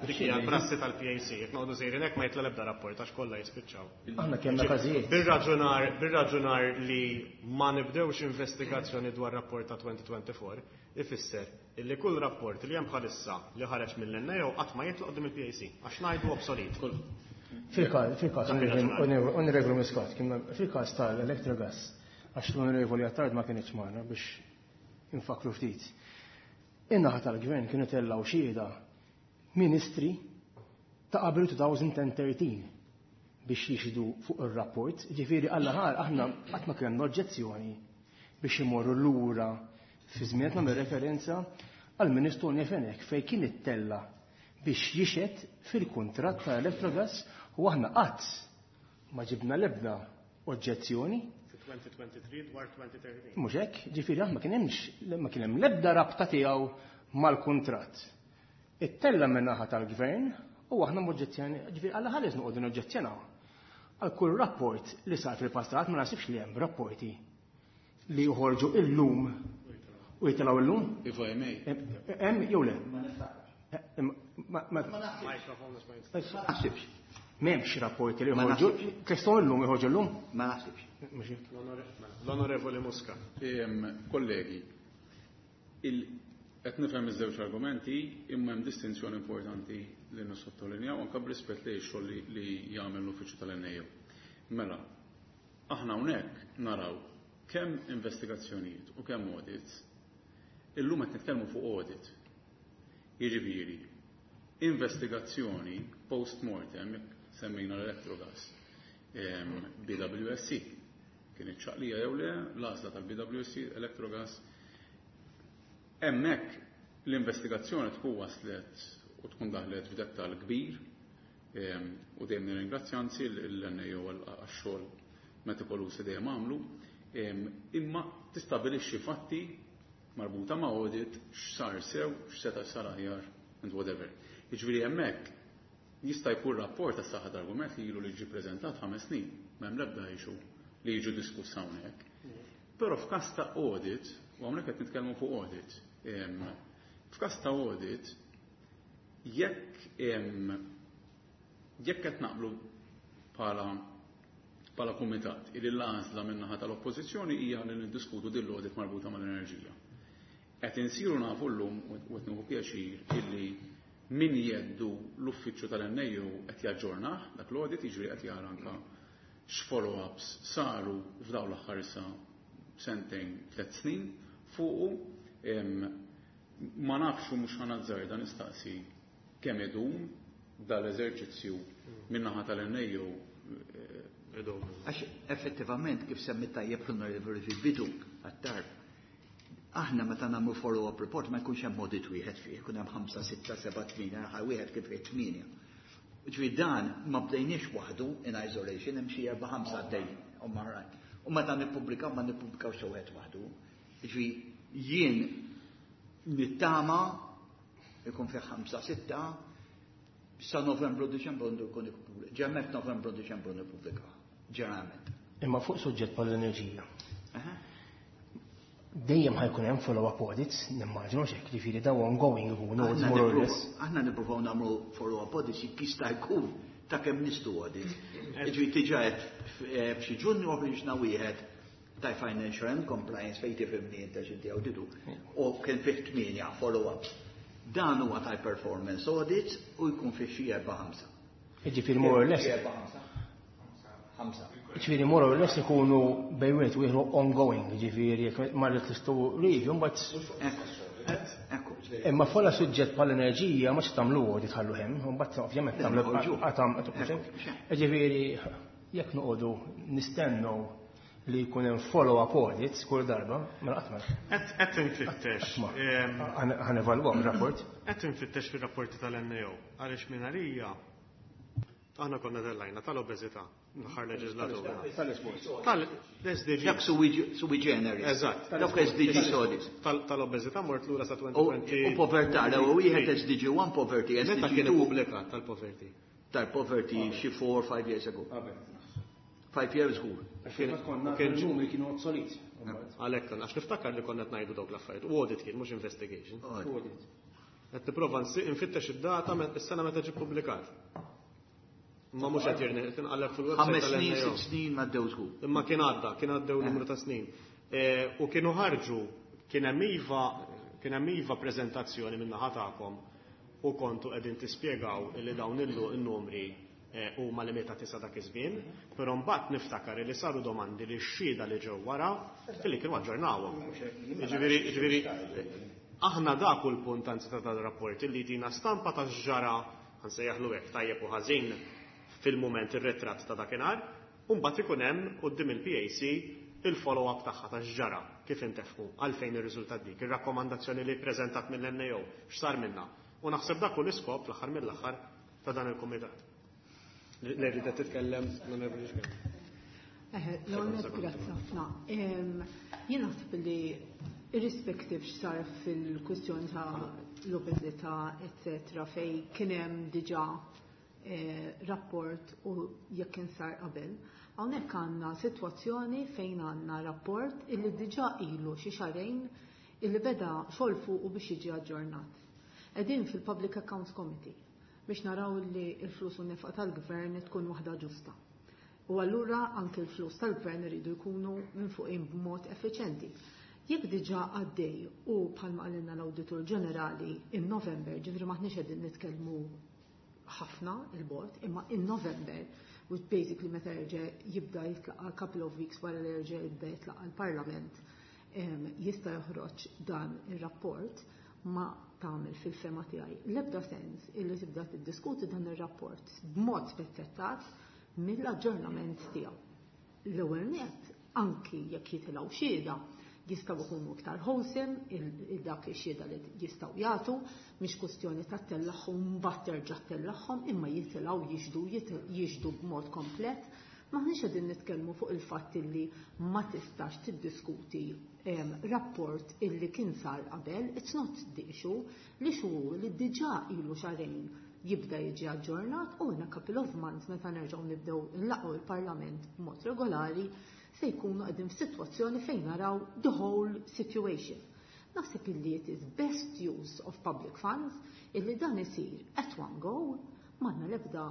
Dik hija l-prassi tal-P A C, jekk noqogħdu sejrin hekk ma jitla l-ebda rapport għax kollha jispiċċaw. Aħna kellna każijiet. Bir-raġunar, bir-raġunar li ma nibdewx investigazzjoni dwar rapport ta' twenty twenty-four ifisser illi kull rapport li hemm bħalissa li ħareġ mill-N A O qatt ma jitloq quddiem il-P A C għax ngħidu obsolet. Fil-każ, fil-każ, Dak il-raġunar. Onorevoli Muscat, kien fil-każ tal-Electrogas, għax l-Onorevoli Attard ma kienx magħna biex infakru ftit. In-naħa tal-gvern kienu tellgħu xhieda ministri ta' qabel two thousand thirteen biex jixhdu fuq ir-rapport, ġifieri għall-aħħar aħna qatt ma kellna oġġezzjoni biex imorru lura fi żmien nagħmel referenza għal Ministru Fenech fejn kien ittella biex jixhed fil-kuntratt ta' Electrogas u aħna qatt ma ġibna l-ebda oġġezzjoni. elfejn u tlieta u għoxrin dwar elfejn u tlettax. Mhux hekk, ġifieri aħna ma kien hemmx ma kien hemm l-ebda rabta tiegħu mal-kuntratt. Ittella min-naħa tal-gvern u aħna m'oġġezzjoni, ġifieri alla ħares noqogħdu noġġezzjonaw. Għal kull rapport li sar fil-passat ma nasibx li hemm rapporti li joħorġu illum u jitilgħu illum. If I may. Hemm jew le? Ma naħsibx. M'hemmx rapporti li joħorġu. Kestom illum joħorġu illum? Ma naħsibx. L-Onorevoli Muscat. Kollegi, qed nifhem iż-żewġ argumenti, imma hemm distinzjoni importanti li nissottolinjaw anke b'rispett li x-xogħol li jagħmel l-uffiċċju tal-N A O. Mela, aħna hawnhekk naraw kemm investigazzjonijiet u kemm audits. Illum qed nitkellmu fuq audit. Jiġifieri, investigazzjoni post-mortem, semmejna l-Electrogas, B W S C, kien iċ-ċaqlija jew le, l-għażla tal-B W S C, Electrogas, hemmhekk l-investigazzjoni tkun waslet u tkun daħlet f'dettal kbir, u dejjem nirringrazzja anzi l-N A O għax-xogħol metikoluż li dejjem għamlu, imma tistabilixxi fatti marbuta ma' audit, x'sar sew, x'seta' sar aħjar and whatever. Jiġifieri hemmhekk jista' jkun rapport tas saħħa argument li ilu li ġie preżentat ħames snin, m'hemm l-ebda issue li jiġu diskuss hawnhekk. Però f'każ ta' audit, u hawnhekk qed nitkellmu fuq audit, f'każ ta' audit, jekk jekk qed naqblu bħala bħala kumitat illi l-għażla min-naħa tal-oppożizzjoni hija li niddiskutu din l-audit marbuta mal-enerġija. Qed insiru nafu llum u qed nieħu pjaċir illi min jeddu l-uffiċċju tal-N A O qed jaġġornah dak l-audit, jiġri qed jara anka x'follow-ups saru f'dawn l-aħħar issa sentejn, tliet snin fuqu. Ma nafx u mhux ħa nazzarda nistaqsi kemm idum dal-eżerċizzju min-naħa tal-N A O. Għax effettivament, kif semmi tajjeb l-onorevoli fil-bidu għat-tarf, aħna meta nagħmlu follow-up report ma jkunx hemm audit wieħed fih, jkun hemm ħamsa, sitta, seba', tmienja, aħħar wieħed kif fih tmienja. Ġifieri dan ma bdejniex waħdu in isolation, hemm xi erba' ħamsa għaddej u maħrajn. U meta nippubblikaw ma nippubblikaw xi wieħed waħdu. Ġifieri jien nittama ikun fih ħamsa, sitta, sa Novembru, Diċembru għandu jkun ippubblika. Ġemmet Novembru, Diċembru nippubblika. Ġeneralment. Imma fuq suġġett bħal-enerġija. Dejjem ħa jkun hemm follow-up audits, nimmaġinu xek, ġifieri daw ongoing ikunu more or less. Aħna nippruvaw nagħmlu follow-up audits jekk jista' jkun ta' kemm nistgħu audits. Ġifieri diġà f'xi Ġunju ħriġna wieħed ta' financial and compliance fejn tifhimni inta x'inti awditu u kien fih tmienja follow-ups. Dan huwa ta' performance audits u jkun fih xi erba' ħamsa. Ġifieri more or less. Erba' ħamsa. Ħamsa. Ġifieri more or less ikunu bejn wieħed u ieħor ongoing, ġifieri jekk marret l-istu review mbagħad. Ekku. Imma fola suġġett bħal enerġija ma tagħmlu audit ħallu hemm, u mbagħad ovvjament tagħmlu għatam. Ġifieri jekk noqogħdu nistennu li jkun hemm follow-up audits kull darba, mela qatt ma. Qed infittex. Ħa nevalwaw rapport. Qed infittex fir-rapporti tal-N A O għaliex minn għalija aħna konna tellajna tal-obeżità l-aħħar leġislatura. Tal-S D G. Dak sui generis. Eżatt. Dak S D G audits. Tal-obeżità mort lura sa U elfejn u tlieta u għoxrin. Povertà, l-ewwel wieħed S D G one poverty, Meta S D G kien two ippubblikat tal-poverty? Tal-poverty xi four, five years ago. Five years ago. Konna numri kienu obsolet. Għalhekk għax niftakar li konna qed ngħidu dawk l-affarijiet. U audit kien, mhux investigation. Qed nipprova nfittex id-data is-sena meta ġie ppubblikat. Ma mhux qed jirni, tinqalleb fil-website Ħames snin, tal-N A O. sitt snin ma ddew żgur. Imma kien għadda, kien għaddew numru ta' snin. E, U kienu ħarġu, kien hemm iva, kien hemm iva preżentazzjoni minn naħa tagħkom u kontu qegħdin tispjegaw li dawn illu n-numri e, huma limitati sa dak iż-żmien, però mbagħad niftakar li saru domandi li x-xhieda li ġew wara illi kienu aġġornawhom. Jiġifieri, jiġifieri aħna dak hu l-punt anzi ta' dan rapport illi jtina stampa ta' x'ġara, ħa nsejjaħlu hekk, tajjeb u ħażin fil-mument ir-ritratt ta' dakinhar, u mbagħad ikun hemm quddiem il-P A C il-follow-up tagħha ta' x'ġara, kif intefqu, għalfejn ir-riżultat dik, ir-rakkomandazzjoni li ppreżentat mill-N A O, x'sar minna. U naħseb dak hu l-iskop fl-aħħar mill-aħħar ta' dan il-kumitat. Li rridet titkellem l-Onorevoli Schembri. L-għonet, grazzi ħafna. Jien naħseb li irrispective x'sar fil-kwistjoni ta' l-obeżità, eccetera, fej kien hemm diġà eh, rapport u jekk kien sar qabel. Hawnhekk għandna sitwazzjoni fejn għandna rapport illi diġà ilu xi xahrejn illi beda xogħol fuqu biex jiġi aġġornat. Qegħdin fil-Public Accounts Committee biex naraw li l-flus u nefqa tal-gvern tkun waħda ġusta. U allura anke l-flus tal-gvern iridu jkunu minn fuqin b'mod effiċenti. Jekk diġà għaddej u bħalma qalilna l-Awditur Ġenerali in November, ġifieri maħniex qegħdin nitkellmu ħafna il-bord, imma in November, which basically meta jerġa' jibda jitlaqa', couple of weeks wara li jerġa' jibda jitlaqa' l-Parlament, jista' joħroġ dan ir-rapport, ma tagħmel fil-fehma tiegħi l-ebda sens illi tibda tiddiskuti dan ir-rapport b'mod spezzettat mill-aġġornament tiegħu. L-ewwel net, anki jekk jitilgħu xhieda, jistgħu jkunu iktar wholesome il-dak ix-xhieda li jistgħu jagħtu, mhix kwestjoni ta' tellagħhom mbagħad terġa' tellagħhom, imma jitilgħu jixhdu jixhdu b'mod komplet. Maħniex qegħdin nitkellmu fuq il-fatt illi ma tistax tiddiskuti rapport illi kien sar qabel, it's not the issue, l-issue li diġà ilu xahrejn jibda jiġi aġġornat u in a couple of months, meta nerġgħu nibdew nlaqgħu il-Parlament b'mod regolari, se jkunu qegħdin f'sitwazzjoni fejn naraw the whole situation. Naħseb illi it is best use of public funds illi dan isir at one go. M'għandna l-ebda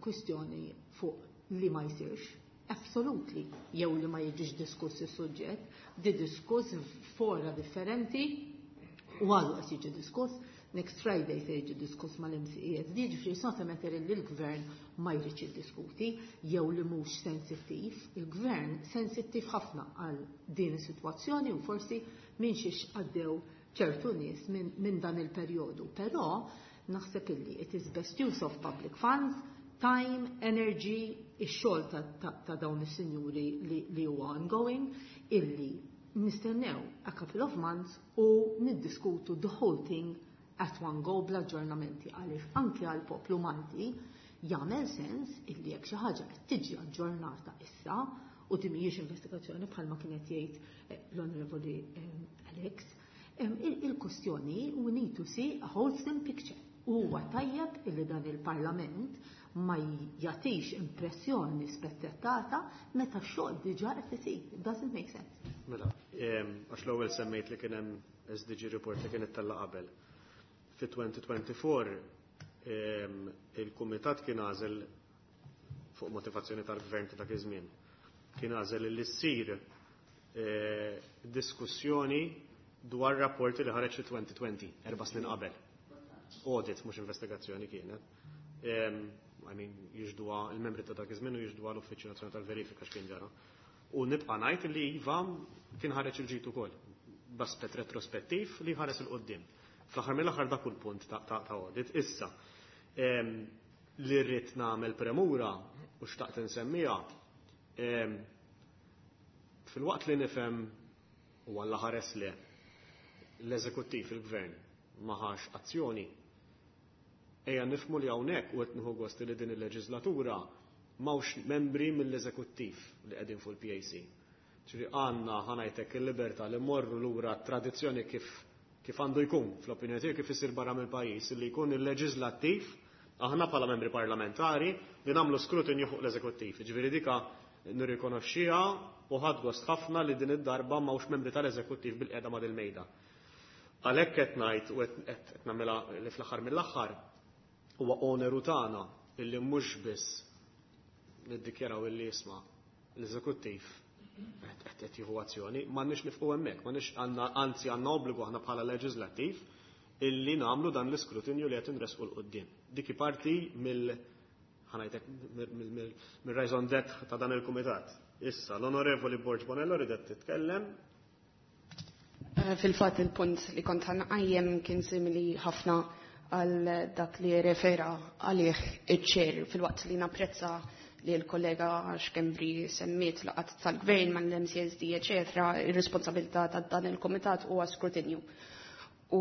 kwistjoni fuq li ma jsirx. Absolutely. Jew li ma jiġix diskuss is-suġġett, di diskuss fora differenti u għadu qed jiġi diskuss. Next Friday se jiġi diskuss mal-M C E S. Ġifieri it's not a matter li l-gvern ma jridx jiddiskuti jew li mhux sensittiv. Il-gvern sensittiv ħafna għal din is-sitwazzjoni u forsi minn xiex għaddew ċertu nies minn min dan il-perjodu. Però naħseb illi it is best use of public funds, time, energy, ix-xogħol ta', ta, ta dawn is-sinjuri li, li huwa ongoing, illi nistennew a couple of months u niddiskutu the whole thing at one go bl-aġġornamenti, għaliex anke għal poplu Malti jagħmel sens illi jekk xi ħaġa qed tiġi aġġornata issa u din mhijiex investigazzjoni bħalma kienet jgħid eh, l-Onorevoli eh, Alex, il-kwestjoni we need to see a wholesome picture. U huwa tajjeb illi dan il-Parlament ma jagħtix impressjoni spezzettata meta x-xogħol diġà qed isir. It doesn't make sense. Mela, għax l-ewwel semmejt li kien hemm S D G report li kien ittella' qabel. Fi elfejn u erbgħa u għoxrin il-kumitat kien għażel fuq motivazzjoni tal-gvern ta' dak iż-żmien. Kien għażel li ssir eh, diskussjoni dwar rapporti li ħareġ fi elfejn u għoxrin, erba' snin qabel. Audit, mhux investigazzjoni kienet. I mean, jixhduha il-membri ta' dak iż-żmien u jixhduha l-Uffiċċju Nazzjonali tal-Verifika x'kien ġara. U nibqa' ngħid li iva, kien ħareġ il-ġid ukoll b'aspett retrospettiv li ħares 'il quddiem. Fl-aħħar mill-aħħar dak il-punt ta' ta' audit. Issa, li rrid nagħmel premura u xtaqt insemmiha, fil-waqt li nifhem u għalla ħares li l-eżekuttiv, il-gvern ma ħax azzjoni, ejja nifhmu li hawnhekk u qed nieħu gost li din il-leġislatura m'hawnx membri mill-eżekuttiv li qegħdin fuq il-P A C. Ġifieri għandna, ħa ngħidlek, il-libertà li morru lura tradizzjoni kif kif għandu jkun, fl-opinjoni tiegħi kif isir barra mill-pajjiż, li jkun il-leġislattiv, aħna bħala membri parlamentari, li nagħmlu skrutinju fuq l-eżekuttiv. Ġifieri dika nirrikonoxxiha u ħadt gost ħafna li din id-darba m'hawnx membri tal-eżekuttiv bil-qiegħda ma' dil-mejda. Għalhekk qed ngħid u qed nagħmilha li fl-aħħar mill-aħħar huwa oneru tagħna illi mhux biss niddikjaraw illi jisma' l-eżekuttiv qed jieħu azzjoni, m'għandniex nieqfu hemmhekk, m'għandniex, għandna, anzi għandna obbligu aħna bħala leġislattiv illi nagħmlu dan l-iskrutinju li qed inresqu 'l quddiem. Dik parti mill ħa ngħidlek mill-raison d'être ta' dan il-kumitat. Issa, l-Onorevoli Borg Bonello ridet titkellem. Eh, fil-fatt il-punt li kont ħa nqajjem kien simili ħafna għal dak li refera għalih iċ-chair, filwaqt li napprezza li l-kollega Schembri semmiet laqgħat tal-gvern mal-M C S D, eċetera, ir-responsabilità ta' dan il-komitat huwa skrutinju. U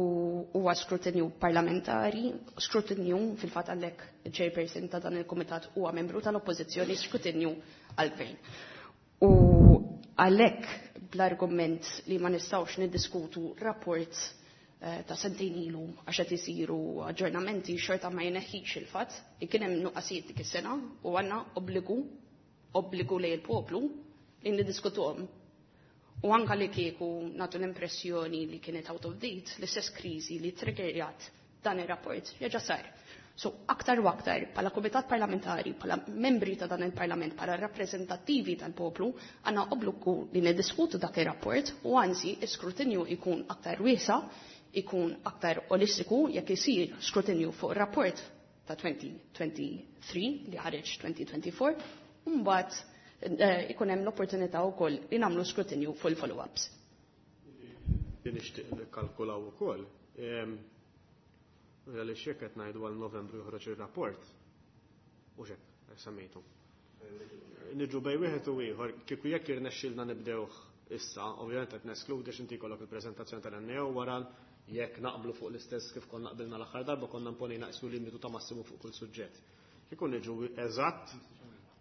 huwa skrutinju parlamentari, skrutinju fil-fatt għalhekk il-chairperson ta' dan il-komitat huwa membru tal-oppożizzjoni, skrutinju għal-gvern. U għalhekk bl-argument li ma nistgħux niddiskutu rapport eh, ta' sentejn ilu għax qed isiru aġġornamenti, xorta ma jneħħix il-fatt li kien hemm nuqqasijiet dik is-sena u għandna obbligu obbligu lejn il-poplu li niddiskutuhom. U anka li kieku nagħtu l-impressjoni li kienet out of date, l-istess kriżi li triggerjat dan ir-rapport reġa' sar. So, aktar u aktar, bħala komitat parlamentari, bħala membri ta' dan il-parlament, bħala rappreżentattivi tal-poplu, għandna obbligu li niddiskutu dak ir-rapport u anzi, iskrutinju ikun aktar wiesa', ikun aktar olistiku jekk isir skrutinju fuq rapport ta' elfejn u tlieta u għoxrin li ħareġ elfejn u erbgħa u għoxrin, u mbagħad eh, ikun hemm l-opportunità wkoll li nagħmlu skrutinju fuq il-follow-ups. Li nixtieq nikkalkulaw ukoll. Għaliex jekk qed ngħidu għal Novembru joħroġ ir-rapport. U xek, semmejtu. Niġu bejn wieħed u ieħor, kieku jekk irnexxilna nibdewh issa, ovvjament qed neskludi x'inti jkollok il-preżentazzjoni tal-N A O wara, jekk naqblu fuq l-istess kif konna qbilna l-aħħar darba, konna mponejna naqsu limitu ta' massimu fuq kull suġġett. Kieku niġu eżatt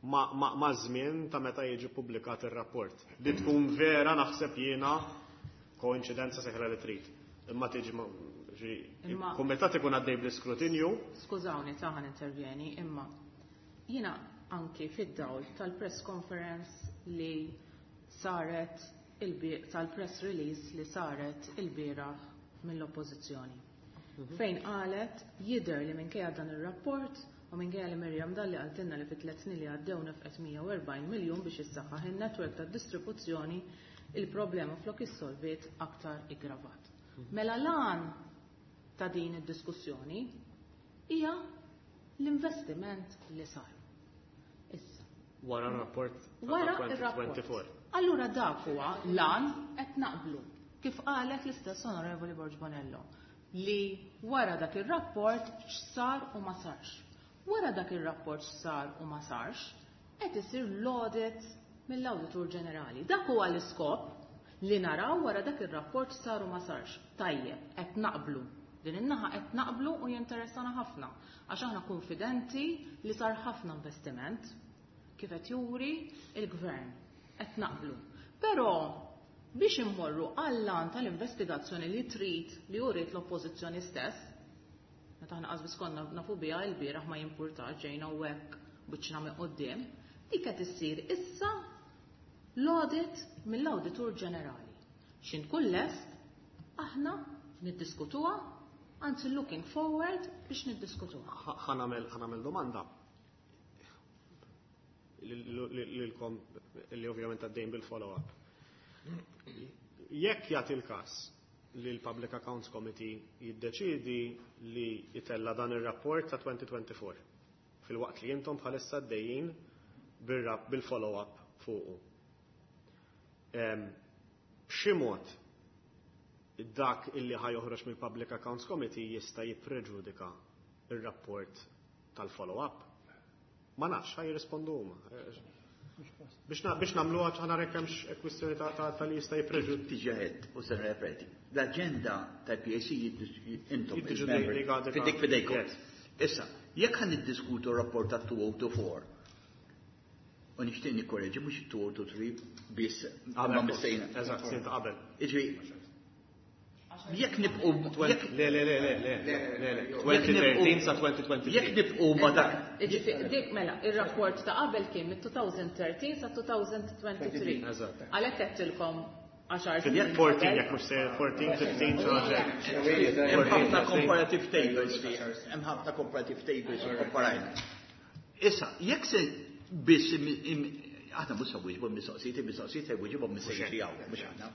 ma' ma, ma żmien ta' meta jiġi publikat ir-rapport. Li tkun vera, naħseb jiena, koincidenza seħra li trid. Imma tiġi ma- ġi- Imma- kumitat ikun għaddej bl-iskrutinju. Skużawni ta' ħan intervjeni, imma jiena anki fid-dawl tal-press conference li saret il tal-press release li saret il-bieraħ mill-oppożizzjoni, fejn qalet jidher li minkejja dan ir-rapport u minkejja li Miriam Dalli qaltilna li fit tliet snin li għaddew nefqet mija u erbgħin miljun biex issaħħaħ in-netwerk tad-distribuzzjoni, il-problema flok issolviet aktar iggravat. Mela l-għan ta' din id-diskussjoni hija l-investiment li sar. Issa, wara r-rapport ta' wara ir-rapport. elfejn u erbgħa u għoxrin. Allura dak huwa l-għan, qed naqblu. Kif qalet l-istess Onorevoli Borg Bonello li wara dak ir-rapport x'sar u ma sarx. Wara dak ir-rapport x'sar u ma sarx, qed isir l-audit mill-Awditur Ġenerali. Dak huwa l-iskop, li naraw wara dak ir-rapport x'sar u ma sarx. Tajjeb, qed naqblu. Din in-naħa qed naqblu u jinteressana ħafna għax aħna konfidenti li sar ħafna investiment kif qed juri il-gvern. Qed naqblu. Però biex immorru għall-għan tal-investigazzjoni li trid li uriet l-oppożizzjoni stess, meta aħna qas biss konna nafu biha il-bieraħ, ma jimpurtax, ġejna u hekk biċċna minn quddiem, dik qed issir issa l-audit mill-Awditur Ġenerali. X'ħin tkun lest, aħna niddiskutuha, anzi looking forward biex niddiskutuha. Ħa nagħmel ħa nagħmel domanda lilkom li ovvjament għaddejn bil-follow-up. Jekk jagħti l-każ li l-Public Accounts Committee jiddeċidi li jitella dan ir-rapport ta' elfejn u erbgħa u għoxrin filwaqt li intom bħalissa għaddejjin bil-follow-up fuqu, b'xi mod dak illi ħa joħroġ mill-Public Accounts Committee jista' jippreġudika ir-rapport tal-follow-up? Ma nafx, ħa jirrispondu huma. Biex biex nagħmluha ħa nara hemmx kwistjoni ta' ta' li jista' jippreġudika. Diġà għedt u se nirrepeti. L-aġenda tal-P A C intom fidejk fidejkom. Issa, jekk ħa niddiskutu rapport ta' elfejn u erbgħa u għoxrin, u nixtieq nikkoreġi, mhux elfejn u tlieta u għoxrin biss ma missejna. Eżatt, snin ta' qabel. Iġri, jekk nibqu Le, le, le, le, le, le, le, elfejn u tlettax sa elfejn u tlieta u għoxrin. Jekk nibqu ma dak. Dik mela, ir-rapport ta' qabel kien mit-elfejn u tlettax sa elfejn u tlieta u għoxrin. Eżatt. Għalhekk għedtilkom għaxar snin. erbatax, jekk mhux se erbatax, ħmistax, xi ħaġa. Hemm ħafna comparative tables, hemm ħafna comparative tables u komparajna. Issa, jekk se biss aħna mhux se wieġbu mistoqsijiet, il-mistoqsijiet se jwieġibhom mis-sejħi hawn, mhux aħna.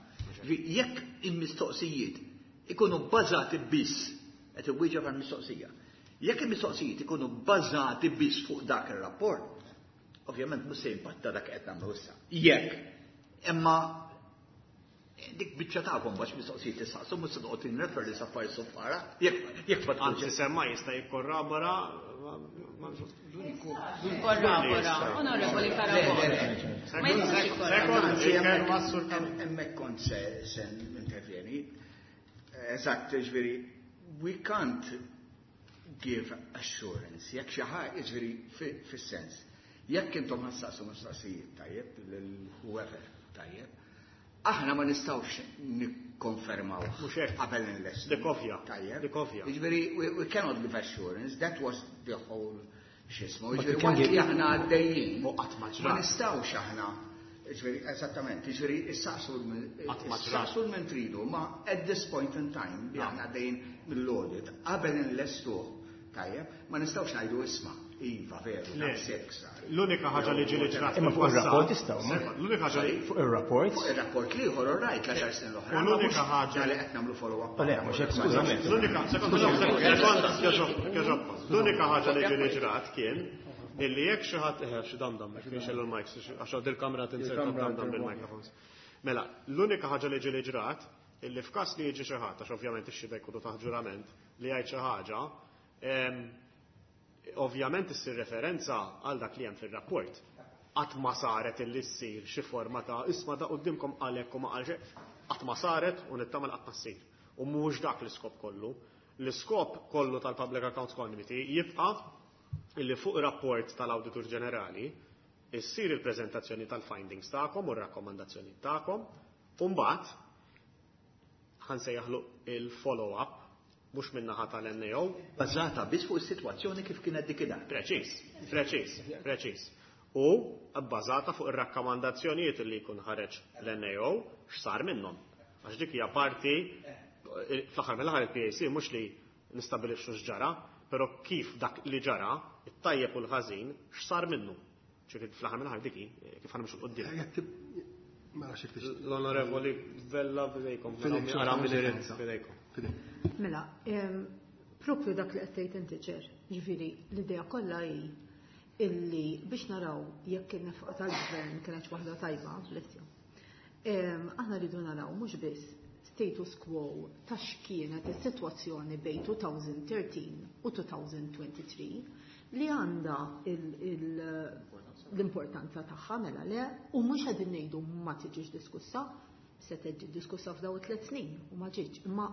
Jekk il-mistoqsijiet ikunu bbażati biss, qed iwieġeb għall-mistoqsija. Jekk il-mistoqsijiet ikunu bbażati biss fuq dak ir-rapport, ovvjament mhux se jimpatta dak qed nagħmlu issa. Jekk imma Dik biċċa tagħkom biex mistoqsijiet tistaqsu mhux se toqgħod nirreferi sa affarijiet soffara. Jekk jekk ma Anzi, semma jista' jikkorrabora. Korrabora, Onorevoli Carabott. Ma jistax jikkorrabora. Hemmhekk kont se se intervjeni. Eżatt, ġifieri, we can't give assurance. Jekk xi ħaġa, ġifieri fis-sens. Jekk intom ħa ssaqsu mistoqsijiet tajjeb lil whoever tajjeb, aħna ma nistgħux nikkonfermaw qabel nlestu. Dik ovvja. Tajjeb. Dik ovvja. Ġifieri, we, we cannot give assurance. That was the whole xismu. But Ġifieri, you can waqt li give- aħna għaddejjin. U qatt ma Ma ġrat. nistgħux aħna. Ġifieri, eżattament, ġifieri, issaqsu Qatt ma ġrat. issaqsu minn tridu, ma at this point in time, li aħna għaddejjin mill-audit, qabel nlestuh, tajjeb, ma nistgħux ngħidu isma', iva, veru, Le. daqshekk sar. L-unika ħaġa li ġieli ġrat Imma fuq fil-passat- ir-rapport tistgħu, ma? Sekond, L-unika ħaġa li Fuq ir-rapport. Fuq ir-rapport l-ieħor, all right, l-għaxar snin l-oħra. U ma l-unika mhux ħaġa- li qed nagħmlu follow-up. Le, mhux hekk, skużami. L-unika, sekonda, sekonda, kieġobba. L-unika ħaġa li ġieli ġrat kien illi jekk xi ħadd eħe xi damdam, jekk nixellu l-mics, għax dil-kamra tinserta Il-kamra damdam bil-microphones. Mela, l-unika ħaġa li ġieli ġrat illi f'każ li jiġi xi ħadd, għax ovvjament ix-xhieda jkunu taħt ġurament, li jgħid xi ħaġa, em, ovvjament issir referenza għal dak li hemm fir-rapport. Qatt ma saret illi ssir xi forma ta' isma' da qudiemkom għalhekk u ma qal xejn. Qatt ma saret u nittama qatt ma ssir. U mhux dak l-iskop kollu. L-iskop kollu tal-Public Accounts Committee jibqa' illi fuq rapport tal-Awditur Ġenerali issir il-preżentazzjoni tal-findings tagħkom u r-rakkomandazzjoni tagħkom u mbagħad ħa nsejjaħlu il-follow-up mhux min-naħa tal-N A O. Bażata biss fuq is-sitwazzjoni kif kienet dik id Preċiż, preċiż, preċiż. U bbażata fuq ir-rakkomandazzjonijiet li jkun ħareġ l-N A O x'sar minnhom. Għax dik hija parti fl-aħħar mill-aħħar il-P A C mhux li nistabilixxu x'ġara, però kif dak li ġara, it-tajjeb u l-ħażin, x'sar minnu. Ġifieri fl-aħħar mill-aħħar dik hi, kif ħa nimxu 'l quddiem. Mela xi tixtieq. L-Onorevoli Vella f'idejkom. Fidejk, Ara min irid xorta. f'idejkom. Mela, em, propju dak li qed tgħid inti Chair, ġifieri l-idea kollha hi illi biex naraw jekk in-nefqa tal-gvern kienet waħda tajba, blessju. Em, Aħna rridu naraw mhux biss status quo ta' x'kienet is-sitwazzjoni bejn elfejn u tlettax u elfejn u tlieta u għoxrin li għandha il- il- l-importanza tagħha mela le u mhux qegħdin ngħidu ma tiġix diskussa, se tiġi diskussa f'daw it-tliet snin u ma ġietx, imma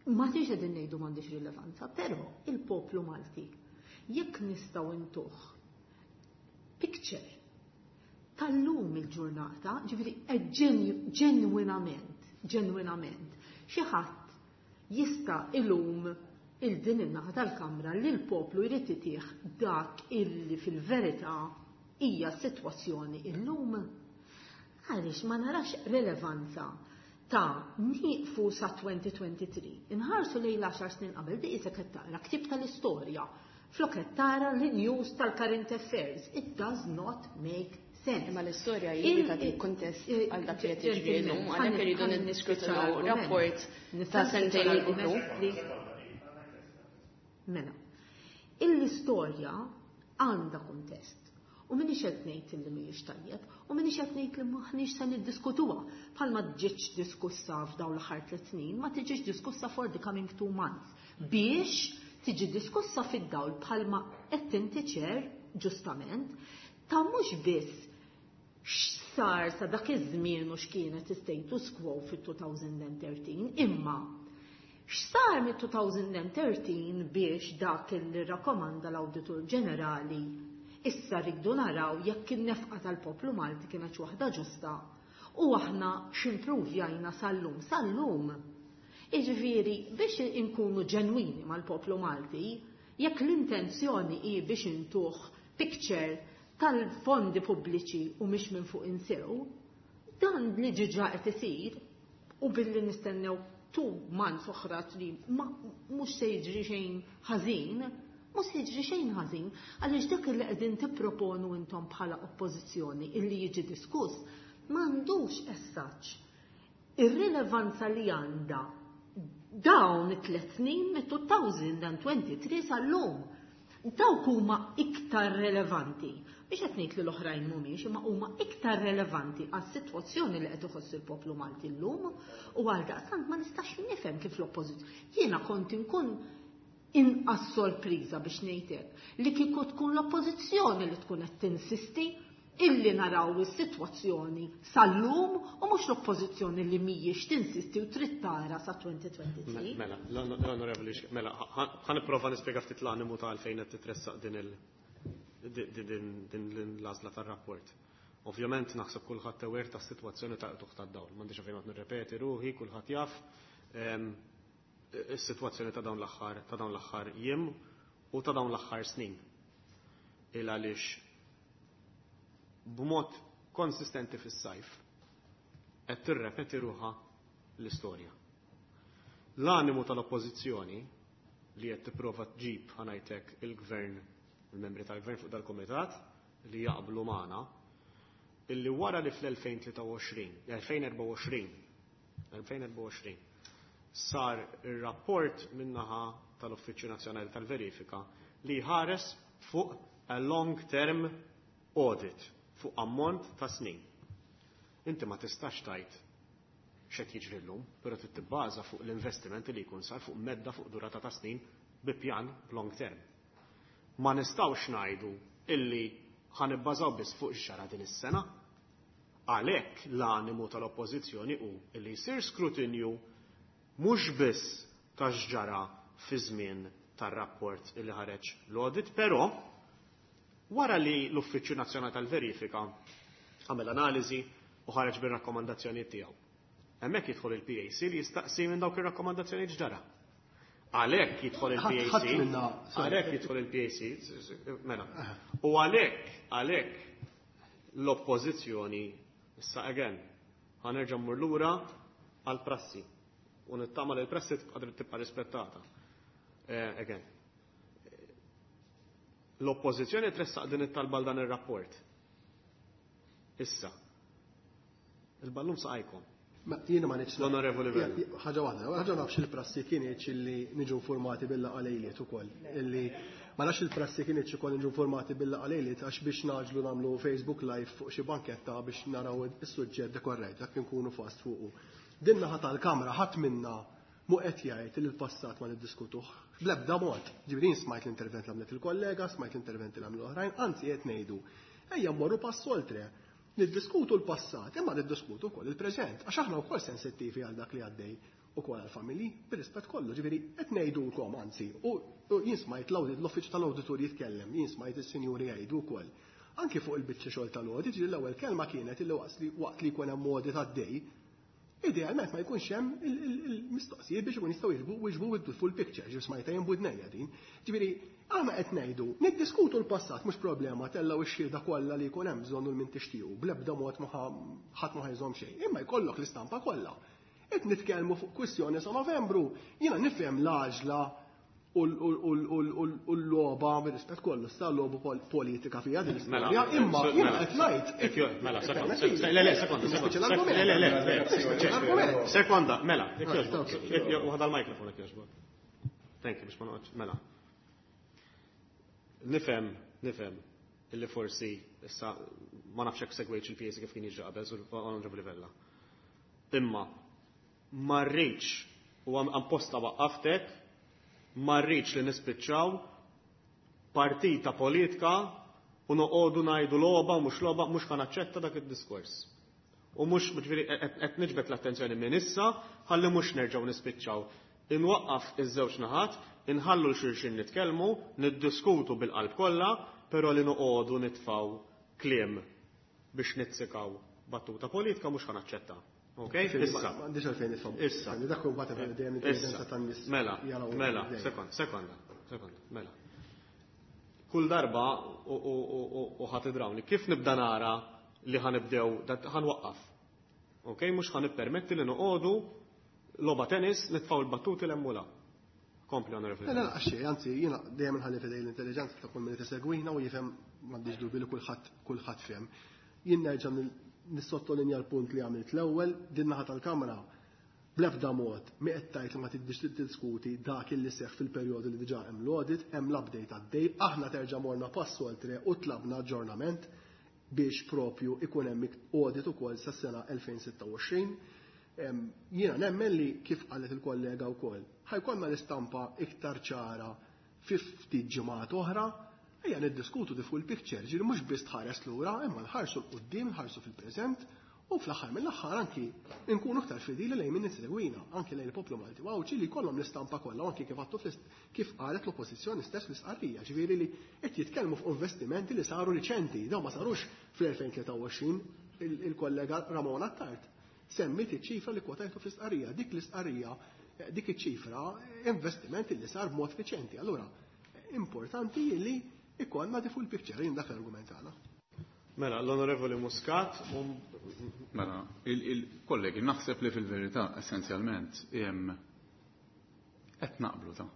ma tiġ qegħdin ngħidu m'għandix rilevanza, però il-poplu Malti jekk nistgħu ntuh picture tal-lum il-ġurnata, ġifieri ġenwinament, ġenwinament, xi ħadd jista' ilum il-din in-naħa tal-Kamra li l-poplu jrid itih dak illi fil-verità hija s-sitwazzjoni illum. Għaliex ma narax rilevanza ta' nieqfu sa elfejn u tlieta u għoxrin, inħarsu lejn l-għaxar snin qabel di qisek qed taqra ktib tal-istorja, flok qed tara l-news tal-current affairs. It does not make sense. Imma l-istorja hi tagħti kuntest għal dak li qed jiġri llum, għalhekk irridu niddiskutu rapport ta' sentejn ilu. Mela, l-istorja għandha kuntest. U minix qed ngħid li mhijiex tajjeb, u minix qed ngħid li maħniex se niddiskutuha. Bħalma ġietx diskussa f'dawn l-aħħar tliet snin, ma tiġix diskussa for the coming two months. Biex tiġi diskussa fid-dawl bħalma qed inti Chair ġustament ta' mhux biss x'sar sa dak iż-żmien u x'kienet status quo fit-elfejn u tlettax, imma x'sar mit-elfejn u tlettax biex dak li rakkomanda l-Awditur Ġenerali issa rridu naraw jekk in-nefqa tal-poplu Malti kienet waħda ġusta u aħna x'improvjajna sal-lum sal-lum. Iġifieri biex inkunu ġenwini mal-poplu Malti, jekk l-intenzjoni hi biex intuh picture tal-fondi pubbliċi u mhix minn fuq insew, dan li diġà qed isir u billi nistennew two months oħra li ma mhux se jiġri xejn ħażin, mhux se jiġri xejn ħażin, għaliex dak li qegħdin tipproponu intom bħala oppożizzjoni illi jiġi diskuss m'għandux as such ir-rilevanza li għandha dawn it-tliet snin mit-elfejn u tlieta u għoxrin sal-lum. Dawk huma iktar relevanti. Biex qed ngħid li l-oħrajn mhumiex, imma huma iktar relevanti għas-sitwazzjoni li qed iħoss il-poplu Malti llum u għaldaqstant ma nistax nifhem kif l-oppożizzjoni. Jiena kont inkun inqas sorpriża biex ngħidlek li kieku tkun l-oppożizzjoni li tkun qed tinsisti illi naraw is-sitwazzjoni sal-lum u mhux l-oppożizzjoni li mhijiex tinsisti u trid tara sa twenty twenty-three. Mela, l-onorevoli, mela, ħa nipprova nispjega ftit l-animu ta' għalfejn qed titressaq din il din l-għażla tar-rapport. Ovvjament naħseb kulħadd aware tas-sitwazzjoni ta' qtugħ tad-dawl. M'għandix fejn nirrepeti ruħi, kulħadd jaf is-sitwazzjoni ta' dawn l-aħħar ta' dawn l-aħħar jiem u ta' dawn l-aħħar snin. Il għaliex b'mod konsistenti fis-sajf qed tirrepeti ruħha l-istorja. L-animu tal-oppożizzjoni li qed tipprova tġib, ħa ngħidlek, il-gvern, il-membri tal-gvern fuq dal-komitat li jaqblu magħna illi wara li fl-elfejn tlieta u għoxrin, elfejn erbgħa u għoxrin, elfejn erbgħa u għoxrin sar ir-rapport min-naħa tal-Uffiċċju Nazzjonali tal-Verifika li ħares fuq a long term audit fuq ammont ta' snin. Inti ma tistax tgħid x'qed jiġri llum, però trid tibbaża fuq l-investiment li jkun sar fuq medda, fuq durata ta' snin bi pjan long term. Ma nistgħux ngħidu illi ħa nibbażaw biss fuq x'ġara din is-sena. Għalhekk l-animu tal-oppożizzjoni hu illi jsir skrutinju mhux biss ta' x'ġara fi żmien tar-rapport illi ħareġ l-audit, però wara li l-Uffiċċju Nazzjonali tal-Verifika għamel analiżi u ħareġ bir-rakkomandazzjonijiet tiegħu. Hemmhekk jidħol il-P A C li jistaqsi minn dawk ir-rakkomandazzjonijiet x'ġara. Għalhekk jidħol il-P A C, għalhekk jidħol il-P A C, mela. U għalhekk, għalhekk l-oppożizzjoni, issa again, ħa nerġa' mmur lura għal-prassi. U nittama li l-prassi tibqa' tibqa' rispettata. Eh, again. L-oppożizzjoni tressaq din it-talba dan ir-rapport. Issa. Il-ballun f'saqajkom. Ma jiena ma nix. L-Onorevoli Vella. Ħaġa waħda, ħaġa nafx il-prassi kienet illi niġu informati bil-laqgħa lejliet ukoll. Illi ma nafx il-prassi kienet ukoll niġu informati bil-laqgħa lejliet għax biex ngħaġġlu nagħmlu Facebook Live fuq xi banketta biex naraw is-suġġett dekorrejt, dak nkunu fast fuqu. Din naħa tal-kamra ħadd minna mu qed jgħid li l-passat ma niddiskutuh. Bl-ebda mod. Ġifieri smajt l-intervent li għamlet il-kollega, smajt l-intervent li għamlu oħrajn, anzi qed ngħidu. Ejja mmorru pass oltre. Niddiskutu l-passat, imma niddiskutu wkoll il-preżent, għax aħna wkoll sensittivi għal dak li għaddej ukoll għall-familji, bir-rispett kollu, ġifieri qed ngħidulkom anzi, u jien smajt l-uffiċċju tal-awditur jitkellem, jien smajt is-sinjuri jgħidu wkoll. Anki fuq il-biċċa xogħol tal-audit, ġifieri l-ewwel kelma kienet illi waqt li jkun hemm audit għaddej, idealment ma jkunx hemm il-mistoqsijiet biex ikun jistgħu jiġbu jiġbu the full picture, ġifieri smajta jien b'widnejja din. Ġifieri aħna qed ngħidu, niddiskutu l-passat mhux problema, tellgħu x-xhieda kollha li jkun hemm bżonn u min tixtiequ, bl-ebda mod ma ħadd ma ħa jżomm xejn, imma jkollok l-istampa kollha. Qed nitkellmu fuq kwistjoni sa Novembru, jiena nifhem l-għaġla u l-logħba, bir-rispett kollu, sta logħba politika fija din l-istorja, imma jiena qed ngħid. Mela, sekonda, le, le, sekonda, sekonda, le, le, le, sekonda, mela, waħda l-mikrofon jekk jogħġbok. Thank you, biex ma noqgħodx, mela. Nifhem, nifhem, illi forsi issa ma nafx hekk segwejtx il-P A C kif kien jiġri qabel, Onorevoli Vella. Imma ma rridx u apposta waqqaftek, ma rridx li nispiċċaw partita politika u noqogħdu ngħidu logħba u mhux logħba, mhux ħa naċċetta dak id-diskors. U mhux, ġifieri qed niġbed l-attenzjoni minn issa ħalli mhux nerġgħu nispiċċaw. Inwaqqaf iż-żewġ naħat, inħallu 'l xulxin nitkellmu, niddiskutu bil-qalb kollha, però li noqogħdu nitfgħu kliem biex nizzikaw battuta politika mhux ħa naċċetta. Ok? Issa. M'għandix għalfejn nifhem. Issa. Dak hu mbagħad dejjem intelligenza tan-nies. Mela, mela, sekonda, sekonda, sekonda, mela. Kull darba u ħa tidrawni, kif nibda nara li ħa nibdew, ħa nwaqqaf. Ok, mhux ħa nippermetti li noqogħdu logħba tennis nitfgħu l-battuti 'l hemm u 'l hawn. Kompli, Onorevoli. Le, le, għaxxej, anzi, jiena dejjem nħalli f'idej l-intelligenza ta' kull min tisegwina u jifhem, m'għandix dubi li kulħadd kulħadd fehem. Jien nerġa' nissottolinja l-punt li għamilt l-ewwel, din naħa tal-Kamra Bl-ebda mod mi qed tgħid li ma tidix tiddiskuti dak illi seħħ fil-perjodu li diġà hemm l-audit, hemm l-update għaddej, aħna terġa' morna pass oltre u tlabna aġġornament biex propju ikun hemm audit ukoll sas-sena elfejn sitta u għoxrin. Jiena nemmen li kif qalet il-kollega wkoll, ħa jkollna l-istampa iktar ċara fi ftit ġimgħat oħra, ejja niddiskutu the full picture, ġifieri mhux biss tħares lura, imma nħarsu 'l quddiem, nħarsu fil-preżent, u fl-aħħar mill-aħħar anki nkunu aktar fidili lejn min insegwina, anki lejn il-poplu Malti u Għawdxi li jkollhom l-istampa kollha, anki kif għattu fl-ist-, kif qalet l-oppożizzjoni stess fl-istqarrija, ġifieri li qed jitkellmu fuq investimenti li saru riċenti, dawn ma sarux fl-elfejn tlieta u għoxrin, il-, il-kollega Ramona Attard semmit iċ-ċifra li kwotajtu fl-istqarrija, dik l-istqarrija, dik iċ-ċifra investimenti li sar b'mod riċenti. Allura, importanti li ikollna the full picture, jien dak l-argument tagħna. Mela, l-Onorevoli Muscat. Um... Mela, il-, il-kollegi, naħseb li fil-verità, essenzjalment, jem, qed naqblu ta'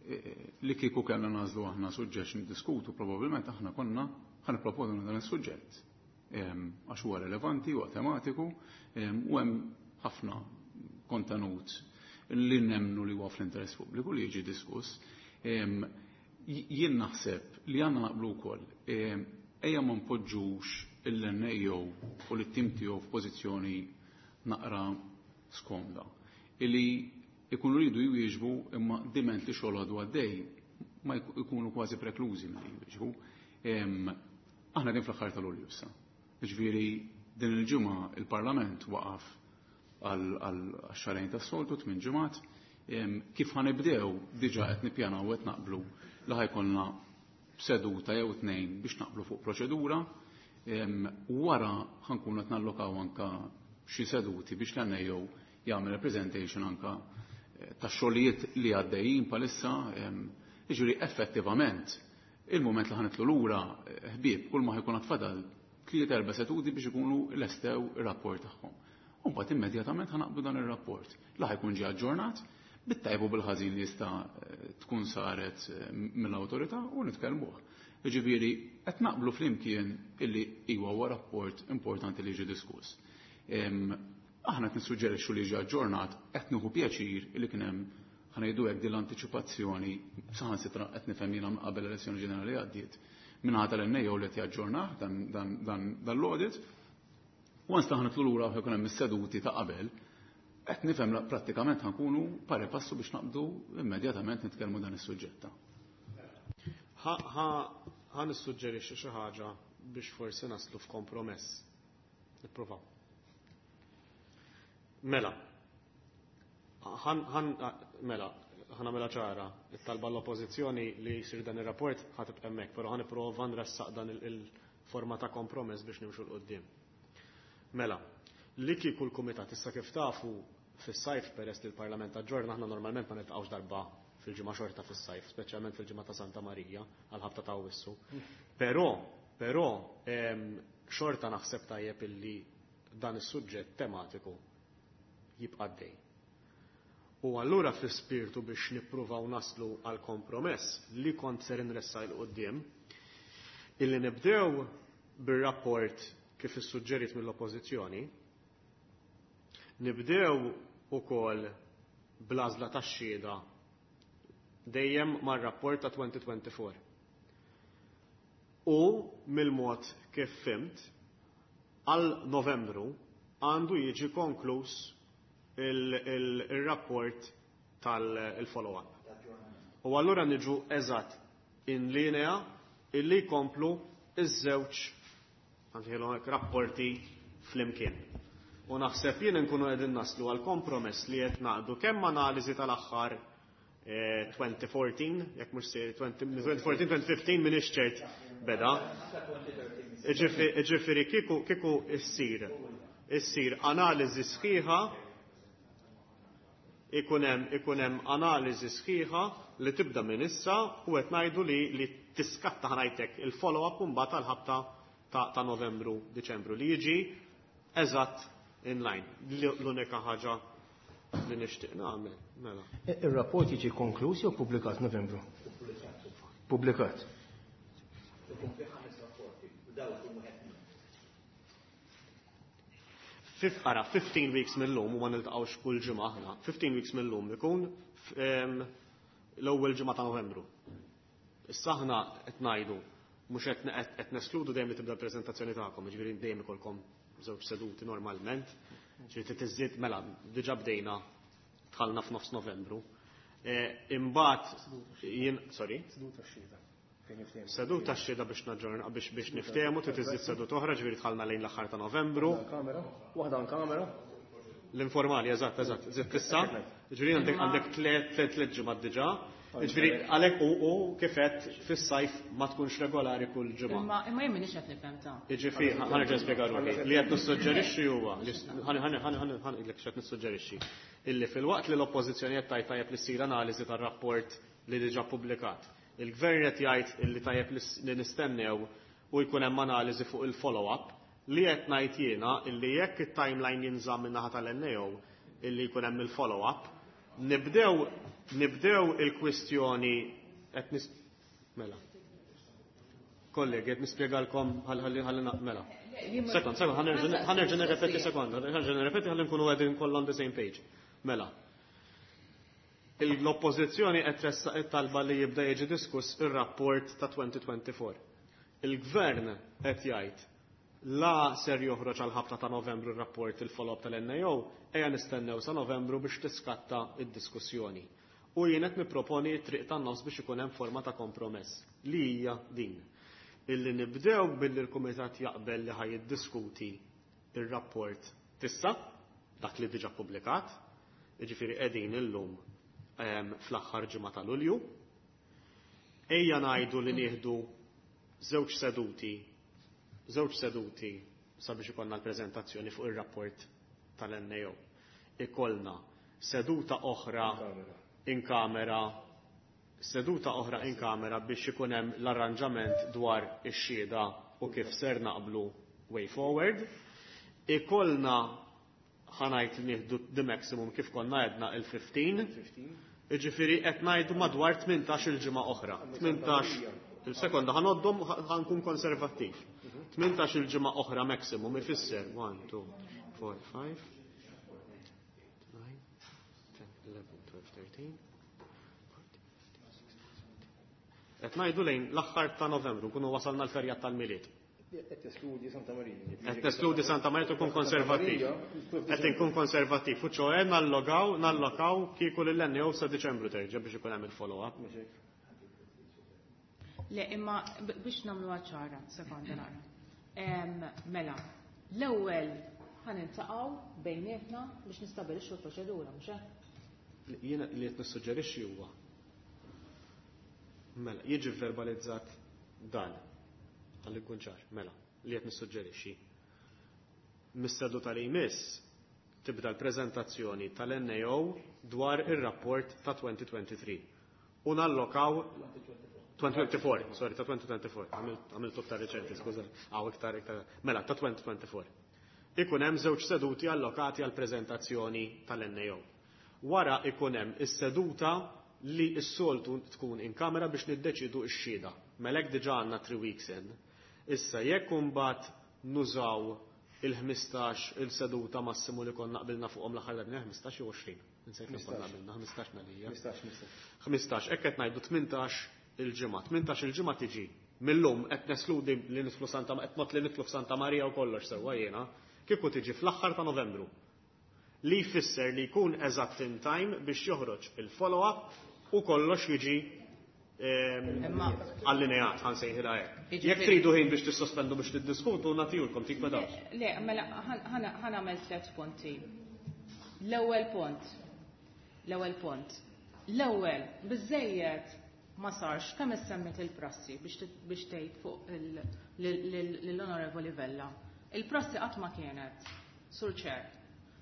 e, e, li kieku kellna nażlu aħna suġġett niddiskutu, probabbilment aħna konna ħa nipproponu dan is-suġġett. Em, għax huwa relevanti, huwa tematiku, em, u hemm ħafna kontenut li nemmnu li huwa fl-interess pubbliku li jiġi diskuss. Em, j-, jien naħseb li għandna naqblu wkoll, em, ejja ma npoġġux il-N A O u l-tim tiegħu f'pożizzjoni naqra skomda. Illi ikunu rridu jwieġbu imma diment li xogħol għadu għaddej ma jk-, ikunu kważi preklużi milli jwieġbu. Em, aħna din fl-aħħar tal-Lulju issa. Ġifieri din il-ġimgħa il-Parlament waqaf għal, għal xarejn tas-soltu tmien ġimgħat. Em, kif ħanibdew diġà qed nippjanaw u qed naqblu li ħajkollna seduta jew tnejn biex naqblu fuq proċedura. Em, wara ħankunu qed nallokaw anka xi seduti biex l-N A O jagħmel representation anka, eh, tax-xogħlijiet li għaddejjin palissa. Em, jiġifieri effettivament il-mument li ħanitlu lura, eh, ħbieb kull ma ħajkun għatfadal tliet erba' seduti biex ikunu lestew ir-rapport tagħhom. U mbagħad immedjatament ħanaqblu dan ir-rapport li ħajkun ġie aġġornat bit-tajbu bil-ħażin li jista', eh, tkun saret, eh, mill-awtorità u nitkellmuh. Jiġifieri qed naqblu flimkien illi iwa huwa rapport importanti li jiġi diskuss. Em, aħna qed nissuġġerixxu li jiġi aġġornat, qed nieħu pjaċir illi kien hemm ħanejdu hekk din l-antiċipazzjoni saħansitra qed nifhem jiena minn qabel l-elezzjoni ġenerali għaddiet minħata tal-N A O li qed jaġġornah dan, dan, dan, dan l-audit. Once ta' ħanitlu lura u jkun hemm is-seduti ta' qabel, qed nifhem la prattikament ħankunu pari passu biex naqbdu immedjatament nitkellmu dan is-suġġett. Ħa, ħa, ħa nissuġġerixxi xi ħaġa biex forsi naslu f'kompromess. Nippruvaw. Mela. Ħan, ħan, mela, ħa nagħmilha ċara, it-talba l-oppożizzjoni li jsir dan ir-rapport ħa tibqa' hemmhekk, però ħa nipprova nressaq dan il-, il-forma ta' kompromess biex nimxu 'l quddiem. Mela, li kieku l-kumitat issa kif tafu fis-sajf peress li l-Parlament aġġorna aħna normalment ma niltaqgħux darba fil-ġimgħa xorta fis-sajf, speċjalment fil-ġimgħa ta' Santa Marija għal ħabta ta' Awwissu. Però, però, em, xorta naħseb tajjeb illi dan is-suġġett tematiku jibqa' għaddej. U allura fl-ispirtu biex nippruvaw naslu għal kompromess li kont ser inressa 'l quddiem, illi nibdew bir-rapport kif issuġġerit mill-oppożizzjoni, nibdew ukoll bl-għażla tax-xhieda dejjem mar-rapport ta' twenty twenty-four. U mill-mod kif fimt, għal Novembru għandu jiġi konkluż il-, il-, il-rapport tal-follow-up. U allura niġu eżatt in linea illi jkomplu iż-żewġ rapporti flimkien. U naħseb jien nkunu qegħdin naslu għal kompromess li qed naqdu kemm analiżi tal-aħħar, eh, twenty fourteen, jekk mhux se twenty fourteen, twenty fifteen m'iniex ċert beda. Ġifieri kieku, kieku issir, issir analiżi sħiħa, ikun hemm, ikun hemm analiżi sħiħa li tibda minn issa u qed ngħidu li, li tiskatta ħanajtek il-follow-up mbagħad tal-ħabta ta', ta' Novembru, Diċembru li jiġi eżatt in line. L-unika ħaġa li nixtieq nagħmel, mela. E, ir-rapport jiġi konkluż jew pubblikat Novembru? Pubblikat. Fif, ara, fifteen weeks mill-lum, u ma niltaqgħux kull ġimgħa aħna, fifteen weeks mill-lum ikun l-ewwel ġimgħa ta' Novembru. Issa aħna qed ngħidu mhux qed neskludu dejjem li tibda l-preżentazzjoni tagħkom, jiġifieri dejjem ikolkom żewġ seduti normalment, ġifieri tiżdied mela diġà bdejna dħalna f'nofs Novembru. Imbagħad jien sorry, seduta x-xhieda. Seduta x-xhieda biex naġġorna biex biex niftehmu trid iżid seduta oħra, ġifieri dħalna lejn l-aħħar ta' Novembru. Waħda kamera. L-informali, eżatt, eżatt, żied issa. Ġifieri għandek għandek tliet tliet ġimgħat diġà. Ġifieri għalhekk u u kif qed fis-sajf ma tkunx regolari kull ġimgħa. Imma imma jien m'iniex qed nifhem ta'. Jiġifieri ħa nerġa' nispjega ruħi. Li qed nissuġġerixxi huwa ħa ħa ħa ngħidlek x'qed nissuġġerixxi. Illi filwaqt li l-oppożizzjoni qed tgħid tajjeb li ssir analiżi tar-rapport li diġà ppubblikat. Il-gvern qed jgħid illi tajjeb li nistennew u jkun hemm analiżi fuq il-follow-up li qed ngħid jiena illi jekk it-timeline jinżamm min-naħa tal-N A O illi jkun hemm il-follow-up, nibdew nibdew il-kwistjoni qed nis mela. Kollegi, qed nispjegalkom ħalli ħalli mela. Sekond, sekond, ħa nerġa' nirrepeti sekonda, ħa nerġa' nirrepeti ħalli nkunu qegħdin kollha on the same page. Mela. L-oppożizzjoni qed tressaq it-talba li jibda jiġi diskuss ir-rapport ta' twenty twenty-four. Il-gvern qed jgħid la ser joħroġ għal ħabta ta' Novembru r-rapport il-follow-up tal-N A O, ejja nistennew sa' Novembru biex tiskatta id-diskussjoni. U jien qed nipproponi t-triq tan-nofs biex ikun hemm forma ta' kompromess li hija din. Illi nibdew billi l-Kumitat jaqbel li ħaj jiddiskuti ir-rapport tissa, dak li diġà ppubblikat, jiġifieri qegħdin illum, ehm, fl-aħħar ġimgħa ta' Lulju. Ejja ngħidu li nieħdu żewġ seduti, żewġ seduti sabiex ikollna l-preżentazzjoni fuq ir-rapport tal-N A O. Ikollna seduta oħra in kamera, seduta oħra in kamera biex ikun hemm l-arranġament dwar ix-xhieda u kif ser naqblu way forward. Ikollna ħanajt li nieħdu the maximum kif konna għedna il-fifteen. Jiġifieri qed ngħidu madwar tmintax il-ġimgħa oħra. Tmintax il-sekonda ħanoddhom ħankun konservattiv. Tmintax il-ġimgħa oħra maximum ifisser one, two, four, five, eight, nine, ten, eleven, twelve, thirteen, fourteen, fifteen, sixteen, seventeen. Qed ngħidu lejn l-aħħar ta' Novembru nkunu wasalna l-ferjat tal-Milied. Qed teskludi Santa Marija. Qed teskludi Santa Marija tkun konservattiv. Qed inkun konservattiv. U ċoe nallogaw, nallokaw kieku lil N A O sa Diċembru terġa' biex ikun hemm il-follow-up. Le, imma b-, biex nagħmluha ċara, sekonda nara. Em, mela, l-ewwel ħaniltaqgħu bejnietna biex nistabilixxu l-proċedura, mhux hekk? Jiena li qed nissuġġerixxi huwa mela, jiġi verbalizzat dan. Ħalli nkun ċar, mela, li qed nissuġġerixxi. Mis-seduta li jmiss tibda l-preżentazzjoni tal-N A O dwar ir-rapport ta' twenty twenty-three. U nallokaw twenty twenty-four, sorry, ta' twenty twenty-four. Għamiltu iktar reċenti, skuża. Għaw iktar, iktar. Mela, ta' twenty twenty-four. Ikun hemm żewġ seduti allokati għal preżentazzjoni tal-N A O. Wara ikun hemm is-seduta li s-soltu tkun in kamera biex niddeċidu x-xhieda. Mela hekk diġà għandna three weeks in. Issa jekk imbagħad nużaw il-ħmistax il-seduta massimu li konna qbilna fuqhom l-aħħar darba, ħmistax jew għoxrin. Insejt li konna qbilna, ħmistax nalija. Ħmistax, ħmistax. Ħmistax, hekk qed ngħidu tmintax il-ġimgħa. Tmintax il-ġimgħa tiġi millum qed nesludi li nidħlu Santa Ma-, qed mod li nidħlu f'Santa Marija u kollox sewwa jiena, kieku tiġi fl-aħħar ta' Novembru. Li jfisser li jkun eżatt in time biex joħroġ il-follow-up u kollox jiġi, ehm, Imma allineat, ħan sejħilha hekk. Jiġifieri Jekk tridu ħin biex tissospendu biex tiddiskutu, nagħtihulkom tik ma dawx. Le, mela ħan, ħan, ħan nagħmel tliet punti. L-ewwel punt. L-ewwel punt. L-ewwel biżejjed ma sarx kemm issemmit il-prassi biex t-, biex tgħid fuq il-, lil-, lil-, lill-Onorevoli Vella. Il-prassi qatt ma kienet, Sur Chair,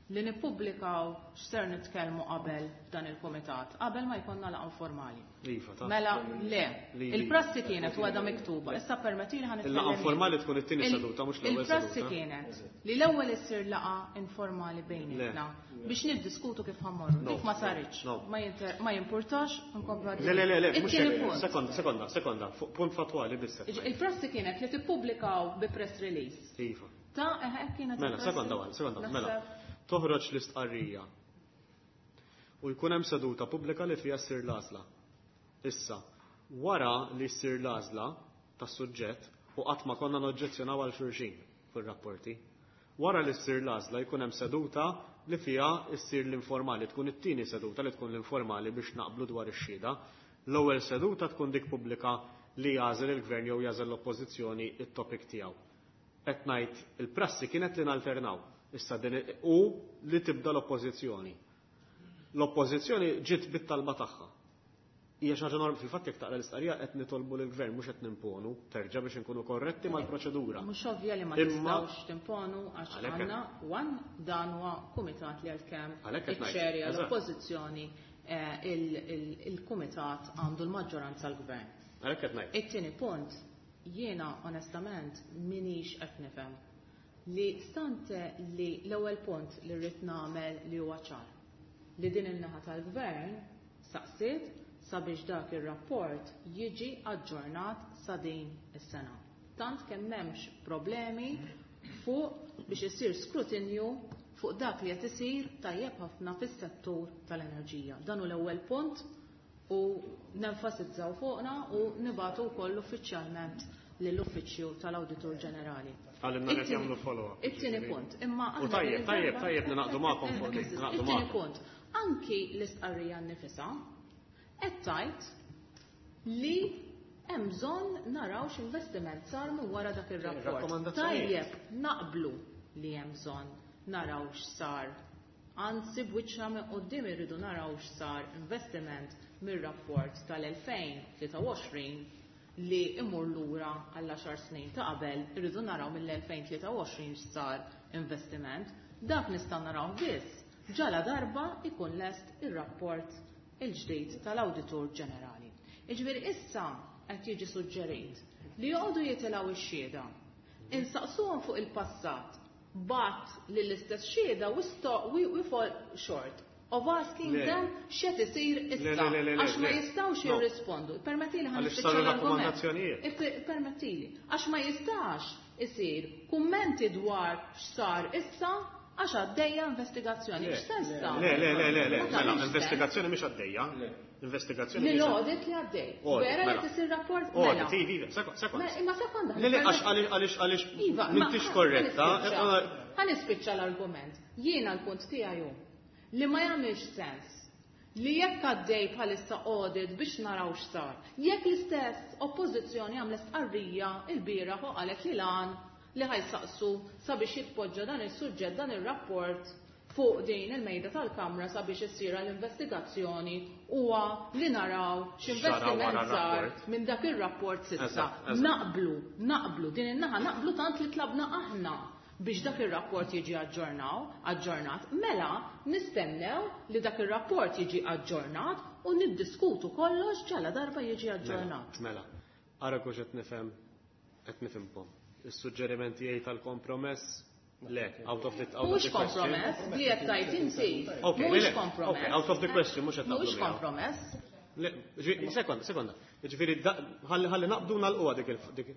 li nippubblikaw x'ser nitkellmu qabel f'dan il-kumitat, qabel ma jkollna laqgħa informali. Iva, ta' Mela, le, Li, li. il-prassi kienet u għadha miktuba. Issa permettili ħa nitkellem Il-laqgħa jien. informali tkun it-tieni Il- seduta, mhux l-ewwel Il-prassi seduta. kienet li l-ewwel issir laqgħa informali bejnietna Le. biex niddiskutu kif ħammorru. No. Dik ma saritx. No. Ma jinter-, ma jimpurtax, nkomplu Le, le, le, le, mhux It-tieni hekk. punt. Sekonda, sekonda, sekonda, fuq punt fatwali biss. Il-prassi kienet li tippubblikaw bi press release. Iva. Ta' eħe kienet. Mela, sekonda waħda, sekonda, mela. Toħroġ l-istqarrija. U jkun hemm seduta pubblika li fiha ssir l-għażla. Issa, wara li ssir l-għażla tas-suġġett u qatt ma konna noġġezzjonaw għal xulxin fir-rapporti. Wara li ssir l-għażla jkun hemm seduta li fiha ssir l-informali, tkun it-tieni seduta li tkun l-informali biex naqblu dwar ix-xhieda. L-ewwel seduta tkun dik pubblika li jagħżel il-gvern jew jagħżel l-oppożizzjoni it-topic tiegħu. Qed ngħid il-prassi kienet li nalternaw. Issa din u li tibda l-oppożizzjoni. L-oppożizzjoni ġiet bit-talba tagħha. Hija xi ħaġa norm fil-fatt jekk taqra l-istqarrija qed nitolbu lill-gvern mhux qed nimponu terġa' biex inkunu korretti mal-proċedura. Mhux ovvja li ma tistgħux timponu għax għandna one dan huwa kumitat li għalkemm iċ-ċerja l-oppożizzjoni il-kumitat għandu l-maġġoranza l-gvern. Għalhekk qed ngħid. It-tieni punt jiena onestament minix qed nifhem li stante li l-ewwel punt li rrid nagħmel li huwa ċar li din in-naħa tal-gvern saqsiet sabiex dak ir-rapport jiġi aġġornat sa din is-sena. Tant kemm m'hemmx problemi fuq biex isir skrutinju fuq dak li qed isir tajjeb ħafna fis-settur tal-enerġija. Dan hu l-ewwel punt u nenfasizzaw fuqna u nibatu wkoll uffiċjalment lill-Uffiċċju tal-Awditur Ġenerali. Għallimna qed jagħmlu follow-up. It-tieni punt. Imma U tajjeb, tajjeb, tajjeb ninaqdu magħkom fuq dik, ninaqdu It-tieni magħkom. punt. Anki l-istqarrija nnifisha qed tgħid li hemm bżonn naraw x'investiment sar minn wara dak ir-rapport. Rakkomandazzjonijiet. Tajjeb naqblu li hemm bżonn naraw x'sar. Anzi b'wiċċna minn quddiem irridu naraw x'sar investiment mir-rapport tal-elfejn tlieta u għoxrin li imur lura għall għaxar snin ta' qabel, irridu naraw mill-elfejn tlieta u għoxrin x'sar investiment. Dak nistgħu naraw biss ġala darba ikun lest ir-rapport il-ġdid tal-Awditur Ġenerali. Jiġifieri issa qed jiġi suġġerit li joqogħdu jitilgħu ix-xhieda, insaqsuhom fuq il-passat, bat lill-istess xhieda we stop, we, we fall short of asking Le. them x'qed isir Le, issa, le, le, le, għax ma le. jistgħux No. jirrispondu. Permettili ħa Għaliex nispiċċa saru l-argument. rakkomandazzjonijiet. Ip-, Permettili, għax ma jistax isir kummenti dwar x'sar issa għax għaddejja investigazzjoni. Le. X'sens ta' Le, le, le, le, le, Ma mela, tagħmilx sens. investigazzjoni mhix għaddejja. Investigazzjoni Li mhix l-audit li għaddej. Audit, Vera li mela. tisir rapport? Audit, Mela. ivi, ivi, sekond, sekond. Ma- Imma sekonda. Le, le, għax, għaliex, għaliex, għaliex, Iva, ma m'intix korretta. ħa nispiċċa. Ħa nispiċċa l-argument. Jiena l-punt tiegħi hu li ma jagħmilx sens li jekk għaddej bħalissa audit biex naraw x'sar. Jekk l-istess oppożizzjoni għamlet stqarrija l-bieraħ u qalet li lan li ħajsaqsu sabiex jitpoġġa dan is-suġġett, dan ir-rapport fuq din il-mejda tal-Kamra sabiex issir l-investigazzjoni huwa li naraw x'investiment Xara wara sar r-rapport. minn dak ir-rapport s'issa. Eżatt, eżatt. Naqblu, naqblu, din in-naħa naqblu tant li tlabna aħna biex dak ir-rapport jiġi aġġornaw, aġġornat, mela nistennew li dak ir-rapport jiġi aġġornat u niddiskutu kollox ġala darba jiġi aġġornat. Mela, ara kux qed nifhem, qed nifhimkom. Is-suġġeriment tiegħi tal-kompromess le, out of the, out of Mhux the question. kompromess, li qed tgħid inti. Okay, Mhux le, le, kompromess. okay, out of the question, mhux qed naqblu Mhux miegħu. kompromess. Le, ġi, sekonda, sekonda. Ġifieri, da- ħalli ħalli naqbdu nagħlquha dik il- dik.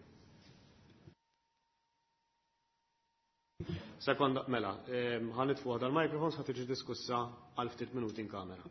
Sekonda, mela, ehm, ħa nitfu dal-microphones ħa tiġi diskussa għal ftit minuti in kamera.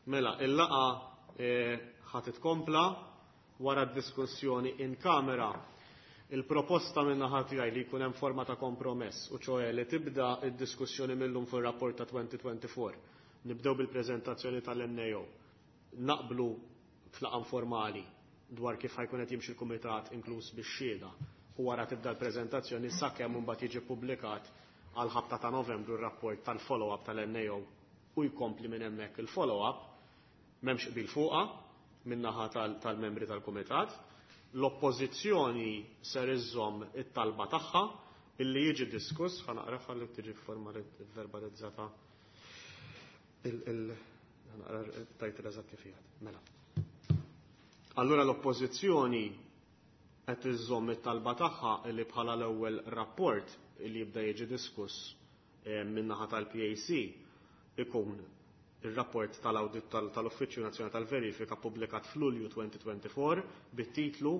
Mela, il-laqgħa ħa titkompla wara d-diskussjoni in kamera. Il-proposta min-naħa tiegħi li jkun hemm forma ta' kompromess, u ċoè li tibda id-diskussjoni millum fuq ir-rapport ta' twenty twenty-four. Nibdew bil-preżentazzjoni tal-N A O. Naqblu f'laqgħa informali dwar kif ħa jkun qed jimxi l-kumitat, inkluż bix-xhieda, u wara tibda l-preżentazzjoni sakemm mbagħad jiġi ppubblikat għal ħabta ta' Novembru r-rapport tal-follow-up tal-N A O u jkompli minn hemmhekk il-follow-up. M'hemmx qbil fuqha min-naħa tal-membri tal-kumitat. L-oppożizzjoni ser iżżomm it-talba tagħha illi jiġi diskuss, ħa naqra li tiġi verbalizzata il naqra tajt eżatt kif. Mela. Allura l-oppożizzjoni qed iżżomm it-talba tagħha li bħala l-ewwel rapport li jibda jiġi diskuss eh, min-naħa tal-P A C ikun il-rapport tal-Audit tal-Uffiċċju Nazzjonali tal-Verifika pubblikat f'Lulju twenty twenty-four bit-titlu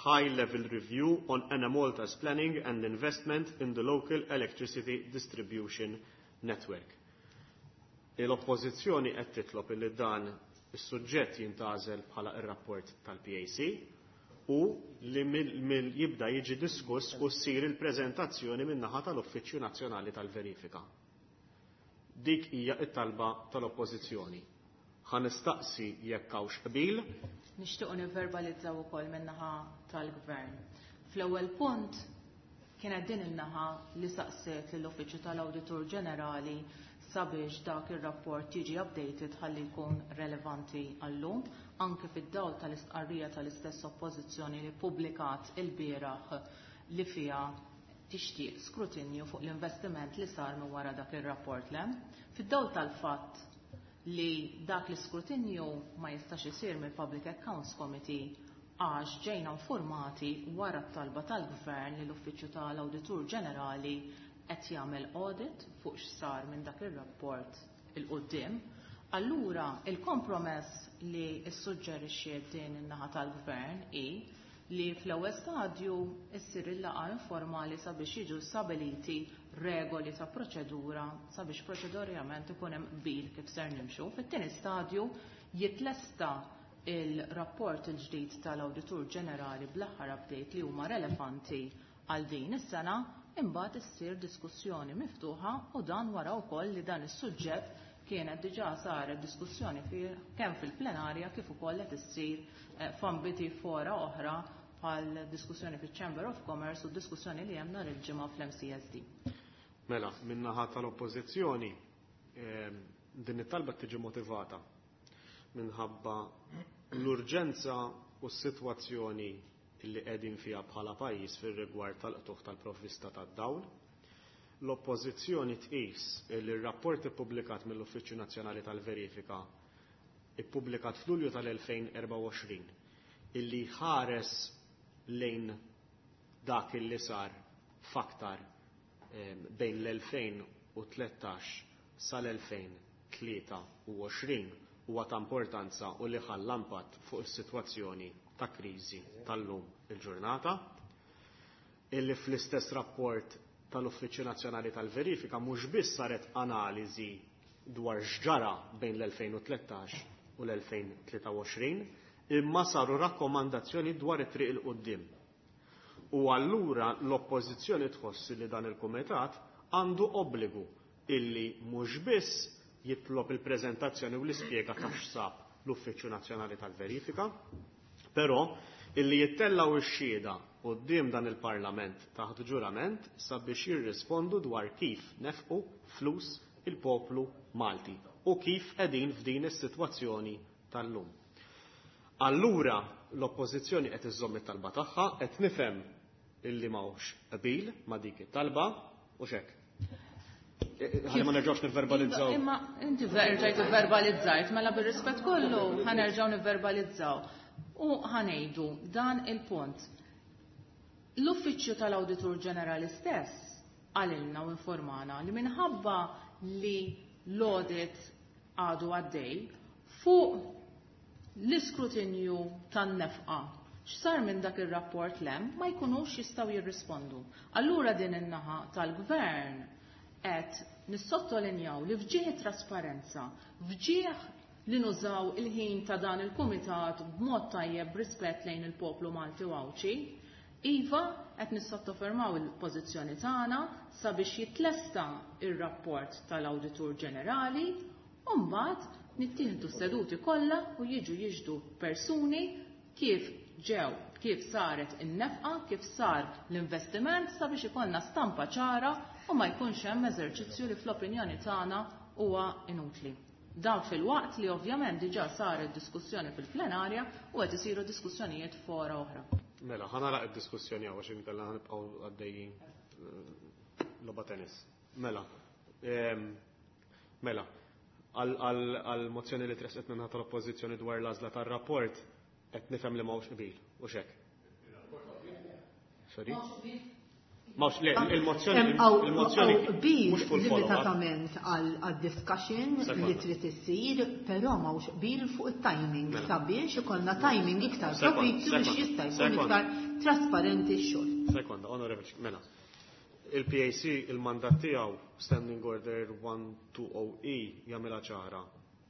"High Level Review on Enemalta's Planning and Investment in the Local Electricity Distribution Network". L-oppożizzjoni qed titlob li dan is-suġġett jintgħażel bħala ir-rapport tal-P A C u li mill jibda jiġi diskuss u ssir il-preżentazzjoni min-naħa tal-Uffiċċju Nazzjonali tal-Verifika. Dik hija it-talba tal-Oppożizzjoni. Ħa nistaqsi jekk hawnx qbil. Nixtiequ nivverbalizzaw ukoll min-naħa tal-Gvern. Fl-ewwel punt kienet din in-naħa li saqsiet lill-Uffiċċju tal-Awditur Ġenerali sabiex dak ir-rapport jiġi updated ħalli jkun relevanti għallum, anke fid-dawl tal-istqarrija tal-istess oppożizzjoni li publikat il-bieraħ li fiha tixtieq skrutinju fuq l-investiment li sar minn wara dak ir-rapport lem. Fid-dawl tal-fatt li dak l-iskrutinju ma jistax isir mill-Public Accounts Committee għax ġejna informati wara t-talba tal-Gvern li l-Uffiċċju tal-Awditur Ġenerali qed jagħmel audit fuq x'sar minn dak ir-rapport 'il quddiem. Allura il-kompromess li ssuġġerixxiet din in-naħa tal-Gvern hi li fl-ewwel stadju issir il-laqgħa informali sabiex jiġu stabiliti regoli ta' proċedura sabiex proċedurjament ikun hemm qbil kif ser nimxu. Fit-tieni stadju jitlesta il-rapport il-ġdid tal-Awditur Ġenerali bl-aħħar update li huma relevanti għal din is-sena, imbagħad issir diskussjoni miftuħa, u dan wara wkoll li dan is-suġġett kienet diġà saret diskussjoni fih kemm fil-plenarja kif ukoll qed issir eh, f'ambiti fora oħra bħal diskussjoni fiċ-Chamber of Commerce u diskussjoni li hemm nhar il-ġimgħa fl-M C S D. Mela, min-naħa tal-Oppożizzjoni ehm, din it-talba tiġi motivata minħabba l-urġenza u s-sitwazzjoni li qegħdin fiha bħala pajjiż fir-rigward tal-qtugħ tal-provvista tad-dawl. L-Oppożizzjoni tqis li r-rapport ippubblikat mill-Uffiċċju Nazzjonali tal-Verifika, ippubblikat f'Lulju tal-elfejn u erbgħa u għoxrin, illi ħares lejn dak illi sar faktar bejn l-elfejn u tlettax sal-elfejn u tlieta u għoxrin huwa ta' importanza u li ħalla impatt fuq is-sitwazzjoni ta' kriżi tal-lum il-ġurnata. Illi fl-istess rapport tal-Uffiċċju Nazzjonali tal-Verifika mhux biss saret analiżi dwar x'ġara bejn l-elfejn u tlettax u l-elfejn u tlieta u għoxrin, imma saru rakkomandazzjoni dwar it-triq 'il quddiem. U allura l-Oppożizzjoni tħoss li dan il-kumitat għandu obbligu illi mhux biss jitlob il-preżentazzjoni u l-ispjega ta' x'sab l-Uffiċċju Nazzjonali tal-Verifika, però illi jittellaw ix-xhieda quddiem dan il-Parlament taħt ġurament sabiex jirrispondu dwar kif nefqu flus il-poplu Malti u kif qegħdin f'din is-sitwazzjoni tal-lum. Allura l-Oppożizzjoni qed iżżomm it-talba tagħha, qed nifhem illi m'hawnx qbil ma' dik it-talba u xek. Ħalli ma nerġgħux nivverbalizzaw. Imma inti rġajt verbalizzajt, mela bir-rispett kollu ħa nerġgħu nivverbalizzaw. U ħa ngħidu dan il-punt. L-Uffiċċju tal-Awditur Ġenerali stess qalilna u informana li minħabba li l-audit għadu għaddej fuq l-iskrutinju tan-nefqa x'sar minn dak ir-rapport lem ma jkunux jistgħu jirrispondu. Allura din in-naħa tal-Gvern qed nissottolinjaw li f'ġieħ trasparenza, f'ġieħ li nużaw il-ħin ta' dan il-kumitat b'mod tajjeb b'rispett lejn il-poplu Malti u Għawdxi. Iva, qed nissottofermaw il-pożizzjoni tagħna sabiex jitlesta ir-rapport tal-Awditur Ġenerali u mbagħad nittieħdu seduti kollha u jiġu jiġdu persuni kif ġew, kif saret in-nefqa, kif sar l-investiment sabiex ikollna stampa ċara u ma jkunx hemm eżerċizzju li fl-opinjoni tagħna huwa inutli. Dan fil-waqt li ovvjament diġà saret diskussjoni fil-plenarja u qed isiru diskussjonijiet fora oħra. Mela, ħa nagħlaq id-diskussjoni hawn għax inkella ħa nibqgħu għaddejjin logħba tennis. Mela, mela, għal-mozzjoni li tresqet minn tal-Oppożizzjoni dwar l-għażla tar-rapport qed nifhem li m'hawnx qbil, u xek. Sorry? Mawx, le, il-mozzjoni il-mozzjoni qbil limitatament għal discussion li trid issir, però m'hawnx qbil fuq it-timing sabiex ikollna timing iktar propizju biex jista' jkun iktar trasparenti x-xogħol. Sekonda, onorevoli, mela. Il-P A C il-mandat tiegħu, Standing Order one two zero E, jagħmilha ċara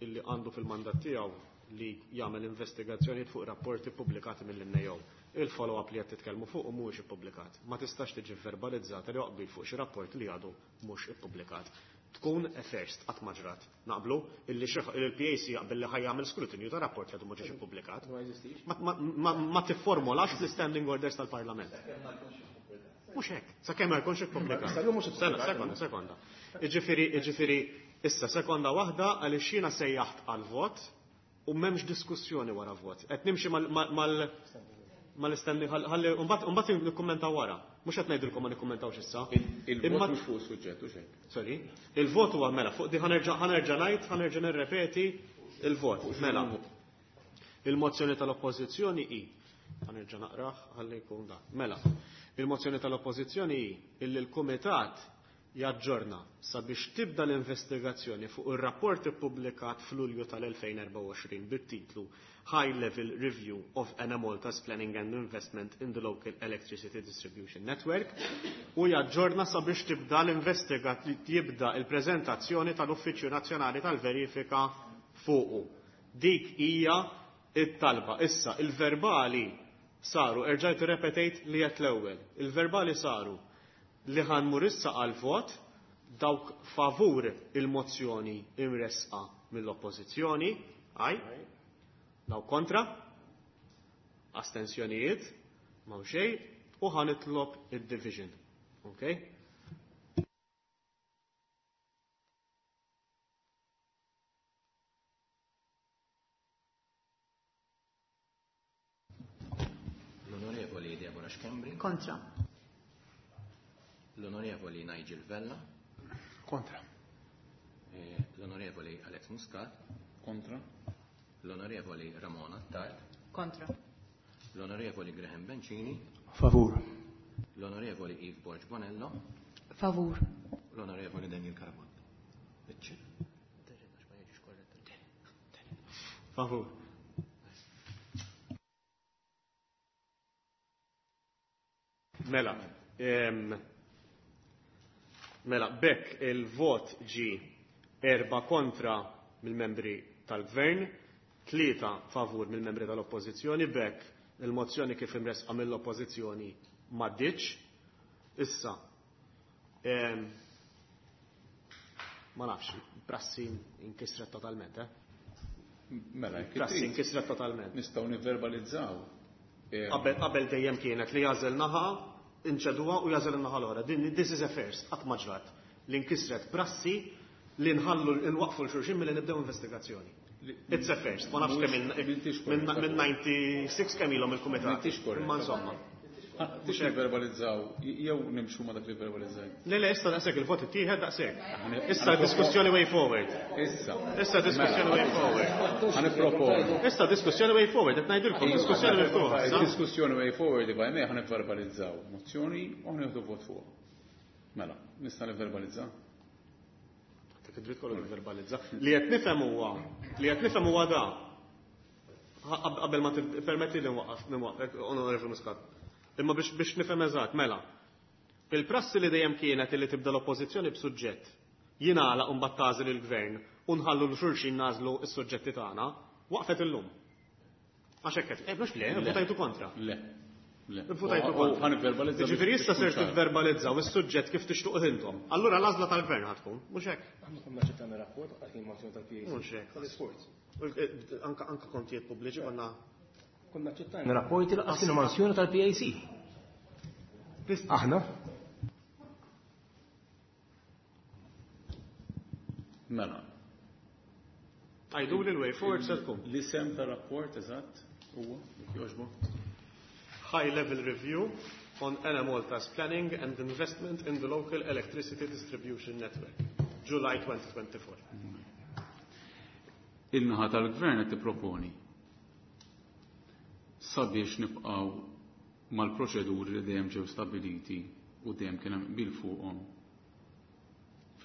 illi għandu fil-mandat tiegħu li jagħmel investigazzjonijiet fuq rapporti pubblikati mill-N A O. Il-follow-up li qed titkellmu fuq mhuwiex ippubblikat. Ma tistax tiġi verbalizzata li qbil fuq xi rapport li għadu mhux ippubblikat. Tkun a first, qatt ma ġrat. Naqblu illi il-P A C jaqbel li ħa jagħmel skrutinju ta' rapport li għadu ma ġiex ippubblikat. Ma tifformolax fl-standing orders tal-Parlament. Mhux hekk, sakemm ma jkunx ippubblikat. Sekonda, sekonda. Iġifieri, iġifieri, issa sekonda waħda, għaliex jiena sejjaħt għal vot u m'hemmx diskussjoni wara vot. Qed nimxi mal mal-istanding, ħalli mbagħad nikkummentaw wara. Mhux qed ngħidilkom ma nikkummentawx issa. Il-vot mhux fuq suġġett u xejn. Sorry. Il-vot huwa, mela, fuq di ħa nerġa' ħa nerġa' ngħid, ħa nerġa' nirrepeti il-vot. Mela. Il-mozzjoni tal-Oppożizzjoni hi, ħa nerġa' naqrah ħalli jkun da. Mela. Il-mozzjoni tal-Oppożizzjoni hi illi l-Kumitat jaġġorna sabiex tibda l-investigazzjoni fuq ir-rapport ippubblikat f'Lulju tal-elfejn u erbgħa u għoxrin bit-titlu High Level Review of Enemalta's Planning and Investment in the Local Electricity Distribution Network u jaġġorna sabiex tibda l-investigat jibda il-preżentazzjoni tal-Uffiċċju Nazzjonali tal-Verifika fuqu. Dik hija it-talba. Issa, il-verbali saru, erġajt repetejt li qed l-ewwel. Il-verbali saru li ħa nmur issa għal vot. Dawk favur il-mozzjoni imresqa mill-oppożizzjoni, għaj, dawk kontra, astensjonijiet, m'hawn xejn, u ħa nitlob id-division. Okay? L-Onorevoli Deborah Schembri. Kontra. L-Onorevoli Nigel Vella. Kontra. Eh, L-Onorevoli Alex Muscat. Kontra. L-Onorevoli Ramona Attard. Kontra. L-Onorevoli Graham Bencini. Favur. L-Onorevoli Eve Borg Bonello. Favur. L-Onorevoli Daniel Carabott. Favur. Mela, em, mela, bekk il-vot ġi erba kontra mill-membri tal-gvern, tlieta favur mill-membri tal-oppożizzjoni, bekk il-mozzjoni kif imresqa mill-oppożizzjoni m'għaddietx. Issa, em, ma nafx, prassi inkisret totalment, eh? Mela, jekk Prassi trid, inkisret totalment. nistgħu nivverbalizzaw. Eh, Qabel qabel dejjem kienet li jagħżel naħa, inċeduha u jagħżel in-naħa l-oħra. Din this is a first, qatt ma ġrat. Li nkisret prassi li nħallu nwaqfu l-xulxin milli nibdew investigazzjoni. It's a first. Ma nafx kemm M'intix minn korretta. minn disgħa u disgħin kemm ilhom il-kumitat. M'intix korretta. Imma insomma. Ah, tix nivverbalizzaw, jew nimxu ma dak li verbalizzajt. Le, le, issa daqshekk, il-vot ittieħed daqshekk. Issa diskussjoni way forward. Issa. Issa diskussjoni way forward. Ħa nipproponu. Issa diskussjoni way forward, qed ngħidilkom diskussjoni miftuħa. issa. Diskussjoni way forward, if I may, ħa nivverbalizzaw mozzjoni u ħa nieħdu vot fuq. Mela, nista' nivverbalizza? Dak id-dritt kollu verbalizza. Li qed nifhem huwa, li qed nifhem huwa da. Ha- Qabel ma permetti li nwaqqaf, nwaqqaf, Onorevoli Muscat. Imma biex biex nifhem eżatt, mela. Il-prassi li dejjem kienet li tibda l-oppożizzjoni b'suġġett, jingħalaq u mbagħad tagħżel il-gvern u nħallu l xulxin nagħżlu s-suġġetti tagħna, waqfet illum. Għax hekk qed, eh, mhux le, votajtu kontra. Le. Le. Votajtu kontra. Ġifieri issa ser tivverbalizzaw is-suġġett kif tixtuq intom. Allura l-għażla tal-gvern ħa tkun, mhux hekk. Aħna konna aċċettajna rapport għal kien mozzjoni tal-P A C. Mhux hekk. Tal-isforz. Anka, anka kontijiet pubbliċi konna Konna aċċettajna rapporti laqas kienu mozzjoni tal-P A C. Aħna. Mela. Għajdu li l-way forward se tkun. L-isem ta' rapport eżatt huwa jekk jogħġbok. High level review on Enemalta's planning and investment in the local electricity distribution network, July twenty twenty-four. Il-naħa tal-gvern qed tipproponi sabiex nibqgħu mal-proċeduri li dejjem ġew stabiliti u dejjem kien hemm qbil fuqhom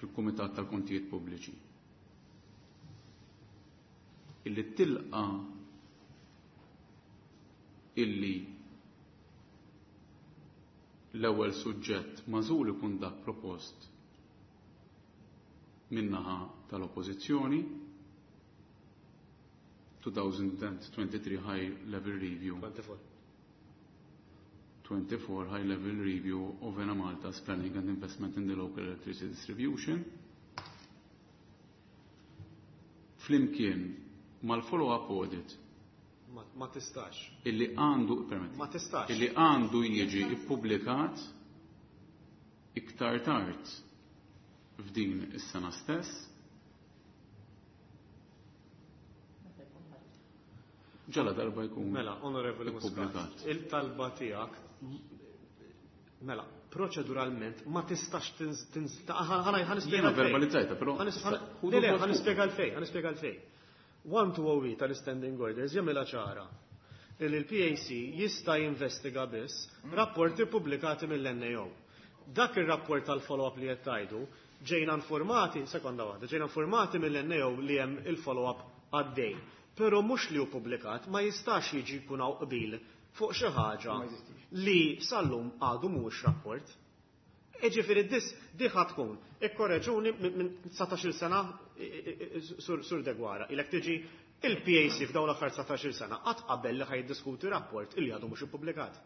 fil-Kumitat tal-Kontijiet Pubbliċi. Illi tilqa illi l-ewwel suġġett magħżul ikun dak propost min-naħa tal-Oppożizzjoni, two thousand twenty-three High Level Review. twenty-four. twenty-four High Level Review of Enemalta's Planning and Investment in the Local Electricity Distribution. Flimkien mal-follow-up audit Ma, ma tistax. Illi għandu, permetti, Ma tistax. Illi għandu jiġi ippubblikat iktar tard f'din is-sena stess. Ġala darba jkun Mela, Onorevoli Muscat, ippubblikat. il-talba tiegħek, mela, proċeduralment ma tistax tinz-, tinz-, ta-, ħa-, ħa-, ħa nispjega Jiena l-fejn. verbalizzajta, però Ħa nis-, ħa-, ħudu le, le, vot ħa fuq. nispjega l-fejn, ħa nispjega l-fejn. one two oh eight tal-Standing Orders jagħmilha ċara li l-P A C jista' jinvestiga biss rapporti pubblikati mill-N A O. Dak ir-rapport tal-follow-up li qed tgħidu ġejna informati, sekonda waħda, ġejna informati mill-N A O li hemm il-follow-up għaddej. Però mhux li hu pubblikat ma jistax jiġi jkun hawn qbil fuq xi ħaġa Ma jeżistix. li sal-lum għadu mhuwiex rapport. Jiġifieri dis di ħa tkun. Ikkoreġuni minn, minn dsatax-il sena, i, i, i, sur, sur Deguara, ilek tiġi il-P A C f'dawn l-aħħar dsatax-il sena qatt qabel li ħaj jiddiskuti rapport illi għadu mhux ippubblikat.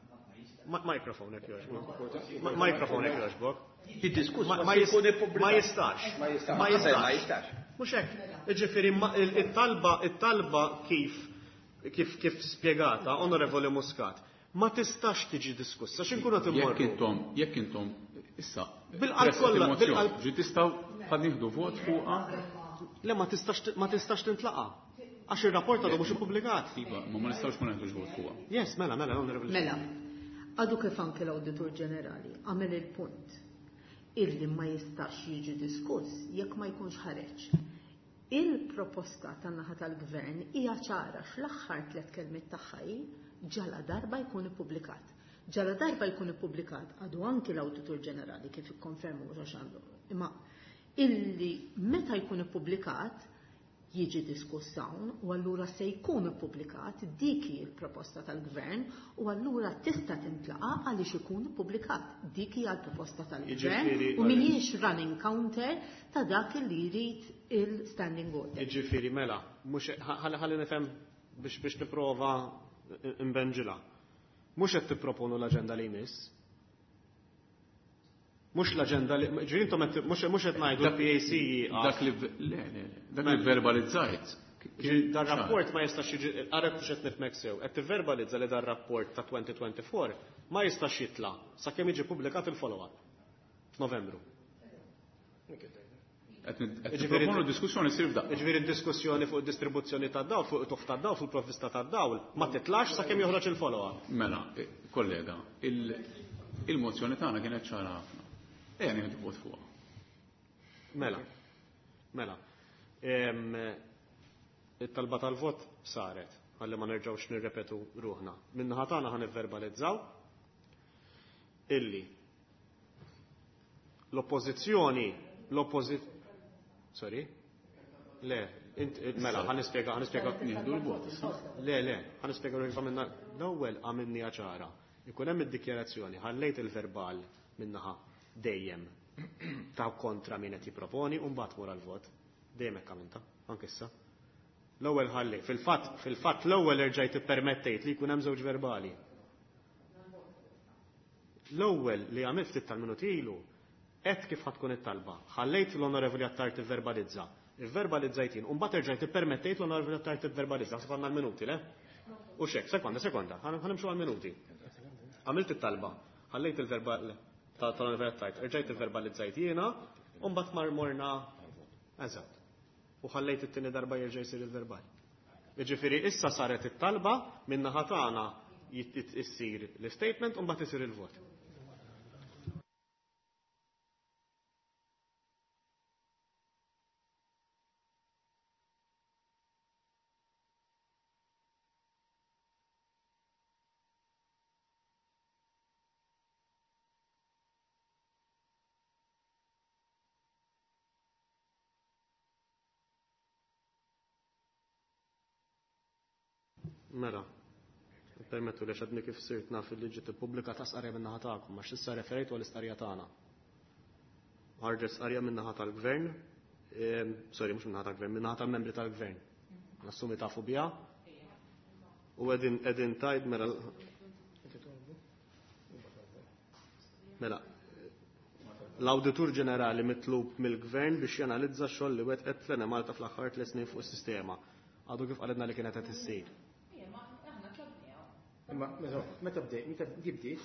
Ma-, microphone hekk jogħġbok. Ma-, microphone hekk jogħġbok. Jiddiskuss Ma-, ma ma se jkun jist-, ippubblikat. ma jistax. Ma jistax. Ma jistax. Ma jistax. Mhux hekk. Jiġifieri ma-, il-, it-talba, it-talba kif, kif, kif spjegata Onorevoli Muscat, ma tistax tiġi diskussa, x'inkunu qed Jekk immorru? intom, jekk intom, issa, Bil-qalb presset kollha, il-mozzjoni, bil-qalb. ġi tistgħu ħad nieħdu vot fuqha? Le, ma tistax t-, ma tistax tintlaqa. Għax ir-rapport għadu mhux ippubblikat. Iva, ma ma nistgħux ma neħdux vot fuqha. Yes, mela, mela, Onorevoli. Mela, għadu kif anke l-Awditur Ġenerali għamel il-punt illi ma jistax jiġi diskuss jekk ma jkunx ħareġ. Il-proposta tan-naħa tal-gvern hija ċara fl-aħħar tliet kelmiet tagħha hi ġala darba jkun ippubblikat. Ġala darba jkun ippubblikat għadu anki l-Awditur Ġenerali kif ikkonfermu mhux għax għandu. Imma illi meta jkun ippubblikat jiġi diskuss hawn u allura se jkun ippubblikat dik hi l-proposta tal-gvern u allura tista' tintlaqa għaliex ikun ippubblikat. Dik hija l-proposta tal-gvern Jiġifieri, u mhijiex running counter ta' dak li jrid il-standing order. Jiġifieri mela, mhux ħalli, ħalli nifhem biex, biex nipprova nbenġilha. Mhux qed tipproponu l-aġenda li jmiss. Mhux l-aġenda li, ġifieri intom qed, mhux, mhux qed ngħidu Dak l-P A C jieqaf. Dak li v-, le, le, le, dak li verbalizzajt. Ġifieri dan rapport ma jistax jiġi, għarek mhux qed nifhmek sew, qed tivverbalizza li dan rapport ta' twenty twenty-four ma jistax jitla' sakemm jiġi pubblikat il-follow-up f'Novembru. Qed nid-, qed Jiġifieri nipproponu diskussjoni ssir f'daqqa. Jiġifieri d-diskussjoni fuq id-distribuzzjoni tad-dawl, fuq it-tuħ tad-dawl, fuq il-provvista tad-dawl, ma titlax sakemm joħroġ il-follow-up. Mela, eh, kollega, il-, il-mozzjoni tagħna kienet ċara ħafna. Ejja nieħdu vot fuqha. Mela, mela. Em, it-talba tal-vot saret, ħalli ma nerġgħux nirrepetu ruħna. Min-naħa tagħna ħa nivverbalizzaw illi l-oppożizzjoni, l-oppożi-, sorry? Le, int, mela, ħa nispjega, ħa nispjega. Nieħdu l-vot issa. Le, le, ħa nispjega kif għamilna. L-ewwel għamilniha ċara. Ikun hemm id-dikjarazzjoni, ħallejt il-verbal min-naħa dejjem ta' kontra min qed jipproponi u mbagħad wara l-vot. Dejjem hekk għamilta, anke issa. L-ewwel ħalli, fil-fatt, fil-fatt l-ewwel erġajt ippermettejt li jkun hemm żewġ verbali. L-ewwel li għamilt ftit tal-minuti ilu, għedt kif ħa tkun it-talba. Ħallejt l-Onorevoli Attard tivverbalizza. Ivverbalizzajt jien, u mbagħad erġajt ippermettejt l-Onorevoli Attard tivverbalizza. Naħseb għandna l-minuti, le? U xek, sekonda, sekonda, ħa nimxu għal-minuti. Għamilt it-talba, ħallejt il-verbal tal-Onorevoli Attard, erġajt ivverbalizzajt jiena, u mbagħad mar morna. Eżatt. U ħallejt it-tieni darba jerġa' jsir il-verbal. Jiġifieri issa saret it-talba min-naħa tagħna issir l-statement u mbagħad isir il-vot. Mela, permettu li xadni kif sirt naf li ġiet ippubblikata stqarrija min-naħa tagħkom, għax issa referejtu għall-istqarrija tagħna. Ħarġet stqarrija min-naħa tal-gvern, sorry, mhux min-naħa tal-gvern, min-naħa tal-membri tal-gvern. Nassumi tafu biha. U qegħdin qegħdin tajb mela Mela, l-Awditur Ġenerali mitlub mill-Gvern biex janalizza x-xogħol li wettqet l-Enemalta fl-aħħar tliet snin fuq is-sistema. Għadu kif qalilna li kienet qed issir. Imma meta bdejt, meta bdiet,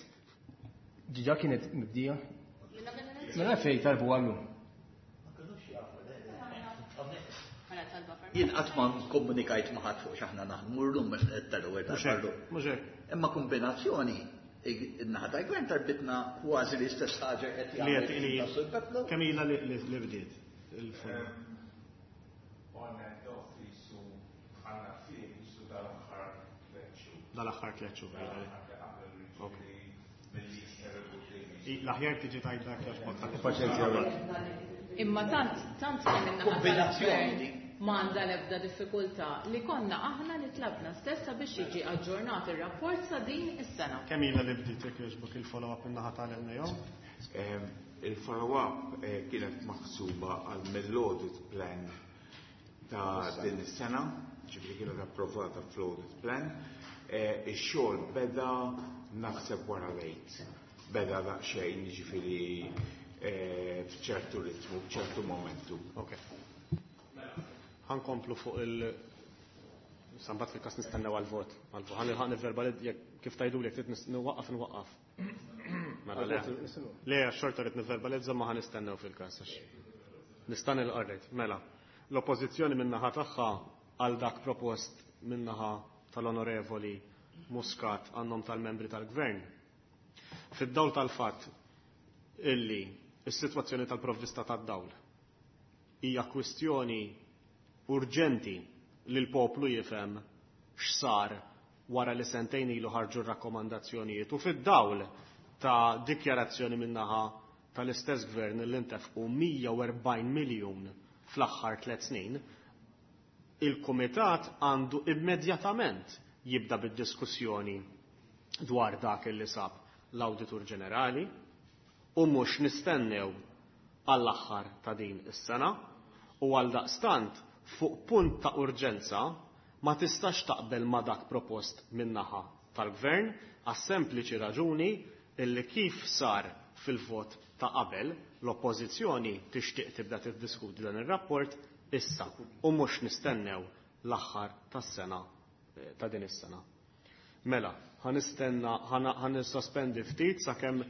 diġà kienet mibdija. Mela fejn talbu għallu. Jien qatt ma komunikajt ma' ħadd fuq x'aħna naħdmu llum tal-ewwel darba. Mhux hekk. Imma kombinazzjoni in-naħa tal-gvern tarbitna kważi l-istess ħaġa qed jagħmel. Kemm ilha li bdiet il-forma? On and off jisu għandna fih jisu dal-aħħar tliet xhur. Dal-aħħar tliet xhur. L-aħjar tiġi tgħid dak għax Paċenzja. Imma tant tant kemm in-naħa Kombinazzjoni. m'għandha l-ebda diffikultà li konna aħna li tlabna stessa biex jiġi aġġornat ir-rapport sa din is-sena. Kemm ilha li bdiet jekk jogħġbok il-follow-up min-naħa tal-NAO? Il-follow-up kienet maħsuba għal mill-audit plan ta' din is-sena, ġifieri kienet approvata fl-audit plan. Ix-xogħol beda naħseb wara lejt. Beda daqsxejn, ġifieri f'ċertu ritmu, f'ċertu momentu. Ok. Ħankomplu fuq il sambat fil-kas nistennew għal-vot. Għal-vot. Ħan nivverbali kif tajdu li trid nwaqqaf nwaqqaf. Mela le. Le, xorta rrid nivverbalizza ma ħan nistennew fil-kas. Nistan il-qarrejt. Mela, l-oppożizzjoni min-naħa tagħha għal dak propost min-naħa tal-Onorevoli Muscat għannom tal-membri tal-Gvern. Fid-dawl tal-fatt illi is-sitwazzjoni tal-provvista tad-dawl hija kwistjoni urġenti li l-poplu jifhem x'sar wara li sentejn ilu ħarġu r-rakkomandazzjonijiet u fid-dawl ta' dikjarazzjoni min-naħa tal-istess gvern li ntefqu mija u erbgħin miljun fl-aħħar tliet snin, il-Kumitat għandu immedjatament jibda bid-diskussjoni dwar dak li sab l-Awditur Ġenerali u mhux nistennew għall-aħħar ta' din is-sena u għal daqstant fuq punt ta' urġenza ma tistax taqbel ma dak propost min-naħa tal-gvern għas-sempliċi raġuni illi kif sar fil-vot ta' qabel l-oppożizzjoni tixtieq tibda tiddiskuti dan ir-rapport issa u mhux nistennew l-aħħar tas-sena ta' din is-sena. Mela, ħanistenna ħanisospendi ftit sakemm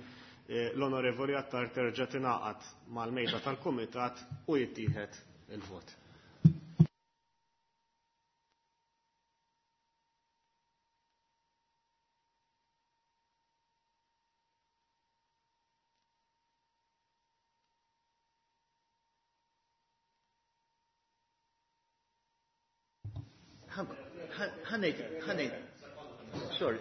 l-Onorevoli Attard terġa' tingħaqad mal-mejda tal-Kumitat u jittieħed il-vot. Ħanejt, ħanejt. Sorry.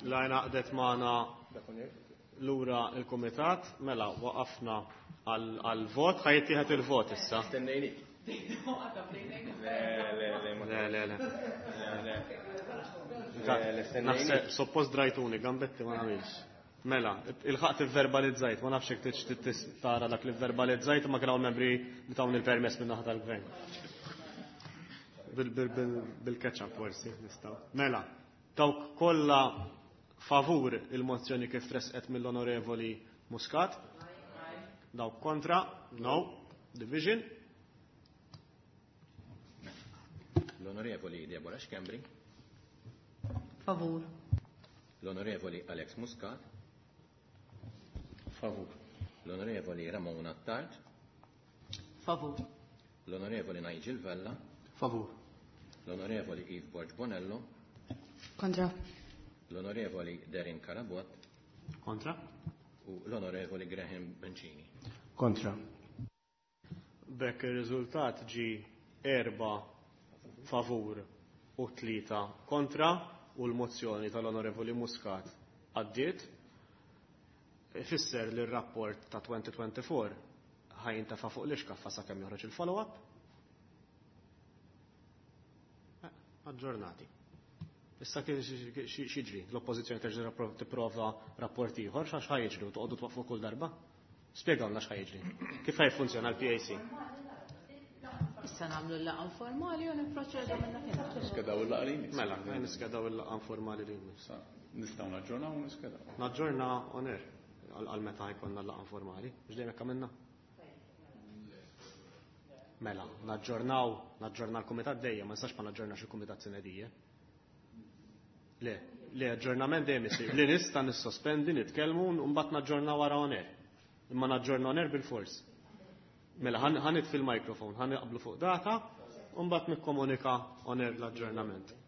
La ngħaqdet magħna lura il-kumitat, mela waqafna għal-vot, ħa jittieħed il-vot issa. Stennejnik. Le, le, le. Naħseb, suppost drajtuni, gambetti ma nagħmilx. Mela, il-ħaqt verbalizzajt, ma nafx jekk trid tara dak li verbalizzajt, ma kien hawn membri li tawni l-permess minn naħa tal-gvern. Bil-ketchup forsi nistgħu. Mela, dawk kollha favur il-mozzjoni kif tresqet mill-Onorevoli Muscat? Dawk kontra? No. Division? L-Onorevoli Deborah Schembri. Favur. L-Onorevoli Alex Muscat. Favur. L-Onorevoli Ramona Attard. Favur. L-Onorevoli Nigel Vella. Favur. L-Onorevoli Eve Borg Bonello. Kontra. L-Onorevoli Derin Carabott. Kontra. U l-Onorevoli Graham Bencini. Kontra. B'hekk ir-riżultat ġi erba favur u tlieta kontra u l-mozzjoni tal-Onorevoli Muscat għaddiet. Ifisser li r-rapport ta' twenty twenty-four ħa jintefa' fuq l-ixkaffa sakemm joħroġ il-follow-up. Eh, aġġornati. Issa x'jiġri? L-oppożizzjoni terġa' tipprova rapport ieħor, x'għax ħa jiġri u toqgħodu twaqfu kull darba? Spjegawlna x'ħa jiġri. Kif ħa jiffunzjona l-P A C? Issa nagħmlu l-laqgħa informali u nipproċedu minn dakinhar. Niskedaw il-laqgħa li jmiss. Mela, niskedaw il-laqgħa informali li jmiss. Nistgħu naġġornaw u niskedaw. Naġġorna on air għal meta jkollna l-laqgħa informali. Mhux dejjem hekk għamilna? Mela, naġġornaw, naġġorna l-kumitat dejjem, ma nistax ma naġġornax il-kumitat sine die. Le, le, aġġornament dejjem isir. Li nista' nissospendi, nitkellmu u mbagħad naġġorna wara on air. Imma naġġorna on air bil-fors. Mela, ħa nitfi l-mikrofon, ħa naqblu fuq data, u mbagħad nikkomunika on air l-aġġornament.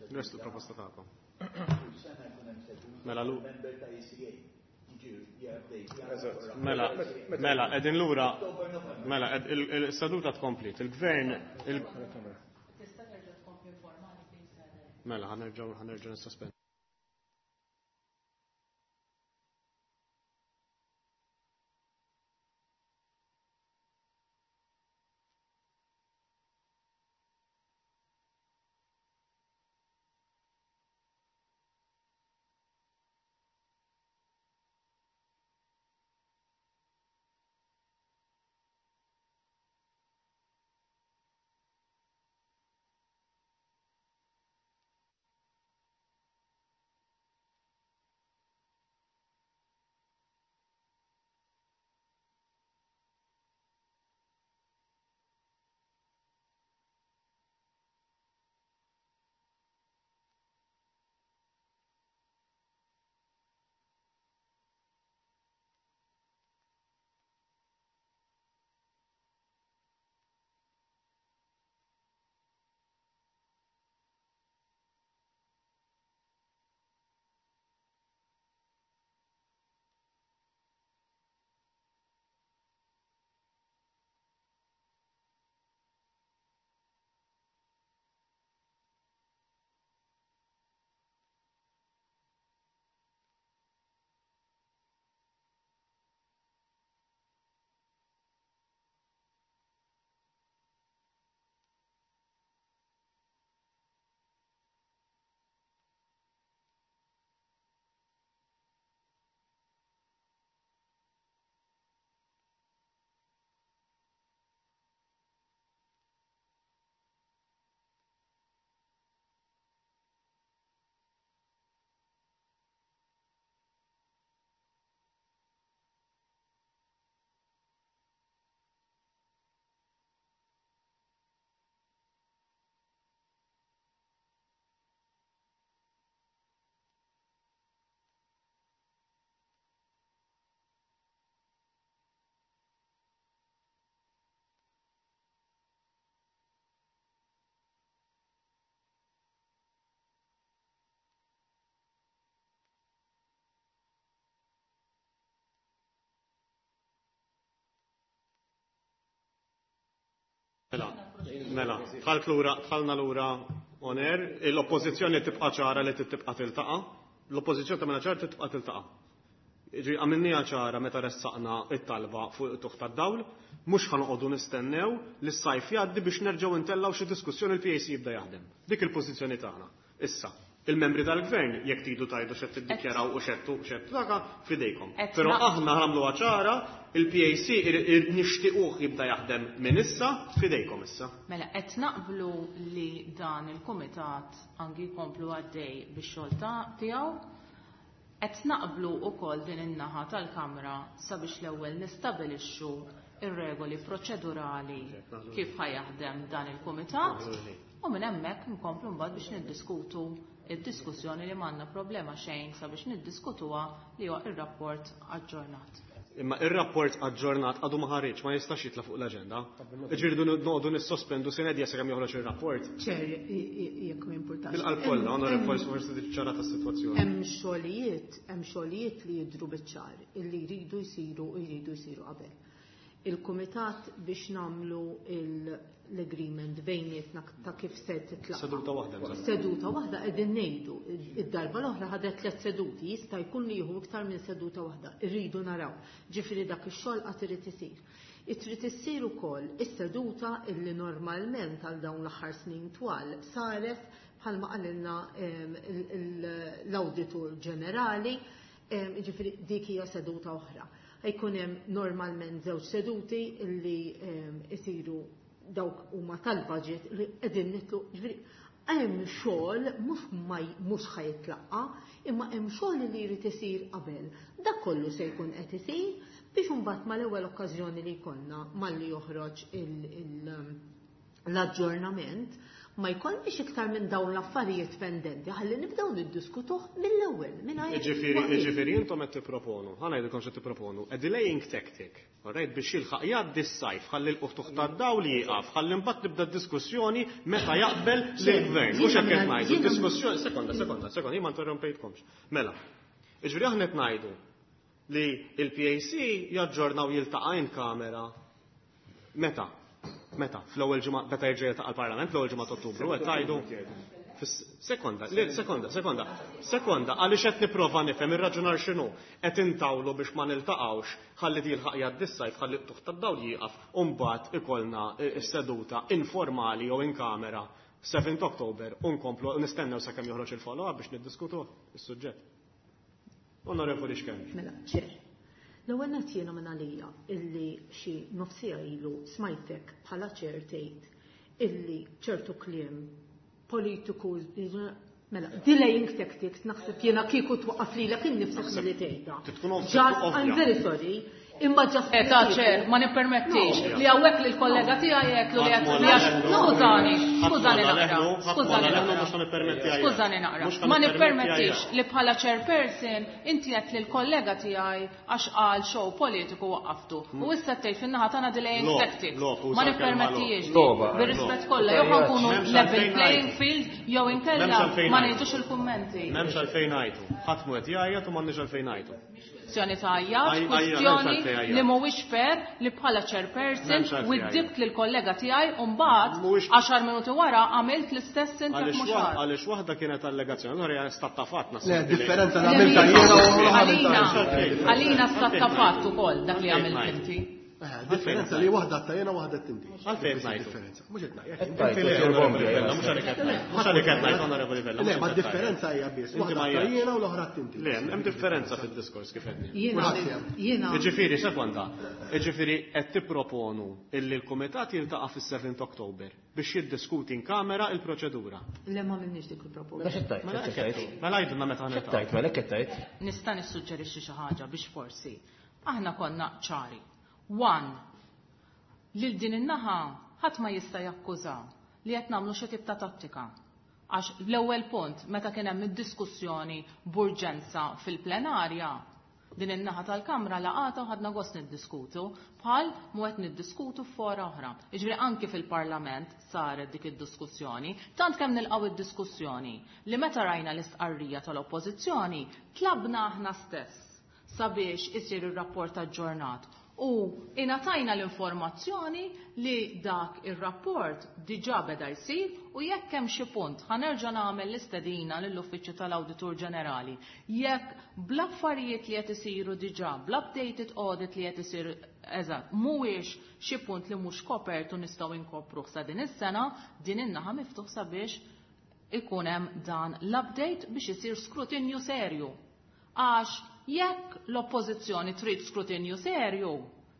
Nrestu proposta tagħkom. Mela lu. Mela, mela, qegħdin lura. Mela, il-seduta tkomplit. Il-gvern Tista' terġa' tkompli informali please. Mela, ħa nerġgħu ħa nerġgħu nissospendu. Mela, mela, dħalt lura, dħalna lura on air, l-oppożizzjoni tibqa' ċara li tibqa' tiltaqa', l-oppożizzjoni tagħmilha ċara tibqa' tiltaqa'. Jiġri għamilniha ċara meta ressaqna it-talba fuq it-tuħ tad-dawl, mhux ħa noqogħdu nistennew li s-sajf jgħaddi biex nerġgħu ntellgħu xi diskussjoni l-P A C jibda jaħdem. Dik il-pożizzjoni tagħna. Issa, il-membri tal-gvern jekk tridu tgħidu x'qed tiddikjaraw u x'qed x'qed taka f'idejkom. Però aħna nagħmluha ċara, il-P A C nixtiequh jibda jaħdem minn issa f'idejkom issa. Mela qed naqblu li dan il-kumitat anki jkomplu għaddej bix-xogħol tiegħu. Qed naqblu wkoll din in-naħa tal-Kamra sabiex l-ewwel nistabilixxu ir-regoli proċedurali kif ħajaħdem dan il-kumitat u minn hemmhekk nkomplu mbagħad biex niddiskutu id-diskussjoni li m'għandna problema xejn sabiex niddiskutuha li huwa ir-rapport aġġornat. Imma ir-rapport aġġornat għadu ma ħareġ, ma jistax jitla' fuq l-aġenda. Ġifieri noqogħdu nissospendu sena dija sakemm joħroġ ir-rapport. Ċer, jekk ma jimpurtax. Bil-qalb kollha, onorevoli, forsi tiċċara tas-sitwazzjoni. Hemm xogħlijiet, hemm xogħlijiet li jidhru biċ-ċar illi jridu jsiru u jridu jsiru qabel. Il-kumitat biex nagħmlu l-agreement bejnietna ta' kif se titlaqa. Seduta waħda, bżonn. Seduta waħda qegħdin ngħidu. Id-darba l-oħra ħadet tliet seduti, jista' jkun li jieħu iktar minn seduta waħda. Irridu naraw. Ġifieri dak ix-xogħol qatt irid isir. Trid issir ukoll is-seduta illi normalment għal dawn l-aħħar snin twal saret bħalma qalilna l-Awditur Ġenerali, ġifieri dik hija seduta oħra. Ħajkun hemm normalment żewġ seduti illi isiru dawk huma tal-budget li qegħdin nitlu, ġifieri hemm xogħol mhux mhux ħajitlaqqa, imma hemm xogħol li jrid isir qabel. Dak kollu se jkun qed isir biex imbagħad mal-ewwel okkażjoni li jkollna malli joħroġ l-aġġornament, Ma jkollniex iktar minn dawn l-affarijiet pendenti, ħalli nibdew niddiskutuh mill-ewwel mingħajr. Jiġifieri, jiġifieri intom qed tipproponu, ħa ngħidilkom x'qed tipproponu, a delaying tactic, alright, biex jilħaq jgħaddi s-sajf, ħalli l-qtuħ tad-dawl jieqaf, ħalli mbagħad nibda d-diskussjoni meta jaqbel lill-gvern. Mhux hekk qed ngħidu, diskussjoni, sekonda, sekonda, sekonda, jien ma interrompejtkomx. Mela, jiġifieri aħna qed ngħidu li il-P A C jaġġornaw, jiltaqa' in camera meta? Meta? Fl-ewwel ġimgħa meta jerġa' jiltaqa' l-Parlament, fl-ewwel ġimgħa ta' Ottubru, qed tgħidu? Sekonda, sekonda, sekonda, sekonda, għaliex qed nipprova nifhem ir-raġunar x'inhu. Qed intawlu biex ma niltaqgħux ħalli jilħaq jgħaddi s-sajf, ħalli qtuħ tad-dawl jieqaf u mbagħad ikollna s-seduta informali jew in camera seventh October u nkomplu nistennew sakemm joħroġ il-follow-up biex niddiskutu is-suġġett. Onorevoli Schembri. Mela, Chair. L-ewwel nett jiena minn għalija illi xi nofs siegħa ilu smajtek bħala chair tgħid illi ċertu kliem politiku, mela, delaying tactics, naħseb jiena kieku twaqqaf lilek innifsek milli tgħidha. Just, I'm very sorry, imma just. Eta Chair, ma nippermettix li hawnhekk li l-kollega tiegħi jgħidlu li qed li għax skużani, skużani naqra, skużani naqra. Skużani naqra. Ma nippermettix li bħala chairperson inti qed li l-kollega tiegħi għax qal show politiku waqqaftu. U issa tgħid fin-naħa tagħna delaying tactics. Ma nippermettix. Bir-rispett kollha, jew nkunu level playing field jew inkella ma ngħidux il-kummenti. M'hemmx għalfejn ngħidu. Ħadd mhu qed jgħajjat u m'għandniex għalfejn ngħidu. Kwestjoni ta' għajjat, kwestjoni li mhuwiex fair li bħala chairperson widdibt lil kollega tiegħi u mbagħad għaxar minuti wara għamilt l-istess inti mhux. Għaliex waħda kienet allegazzjoni, l hija stat ta' fatt. Le, differenza li għamilta jiena u Għalina, għalina stat ta' fatt ukoll dak li għamilt inti. Differenza li waħda ta' jiena, waħda tinti. Għalfejn ngħidu? Differenza. Mhux qed ngħid. Mhux għalik qed ngħid. Mhux għalik qed ngħid, Onorevoli Vella. Le, ma differenza hija biss. Waħda ta' jiena u l-oħra tinti. Le, hemm differenza fid-diskors kif qed. Jiena jiena. Jiġifieri, sekonda. Jiġifieri qed tipproponu illi l-kumitat jiltaqa' fis-seventh October biex jiddiskuti in camera il-proċedura. Le, ma minniex dik il-proposta. Mela għidulna meta ħa niltaqgħu. Mela qed Nista' nissuġġerixxi xi ħaġa biex forsi aħna konna ċari. One, lil din in-naħa ħadd ma jista' jakkuża li qed nagħmlu xi tip ta' tattika. Għax l-ewwel punt meta kien hemm id-diskussjoni b'urġenza fil-plenarja, din in-naħa tal-Kamra laqata u ħadna gost niddiskutu bħal mu qed niddiskutu f'fora oħra. Jiġifieri anki fil-Parlament saret dik id-diskussjoni, tant kemm nilqgħu id-diskussjoni li meta rajna l-istqarrija tal-Oppożizzjoni tlabna aħna stess sabiex isir ir-rapport aġġornat u ingħatajna l-informazzjoni li dak ir-rapport diġà beda jsir u jekk hemm xi punt ħa nerġa' nagħmel l-istedina lill-Uffiċċju tal-Awditur Ġenerali. Jekk bl-affarijiet li qed isiru diġà, bl-updated audit li qed isir eżatt, mhuwiex xi punt li mhux kopert u nistgħu inkopruh sa din is-sena, din in-naħa miftuħ sabiex ikun hemm dan l-update biex isir skrutinju serju. Għax jekk l-oppożizzjoni trid skrutinju serju,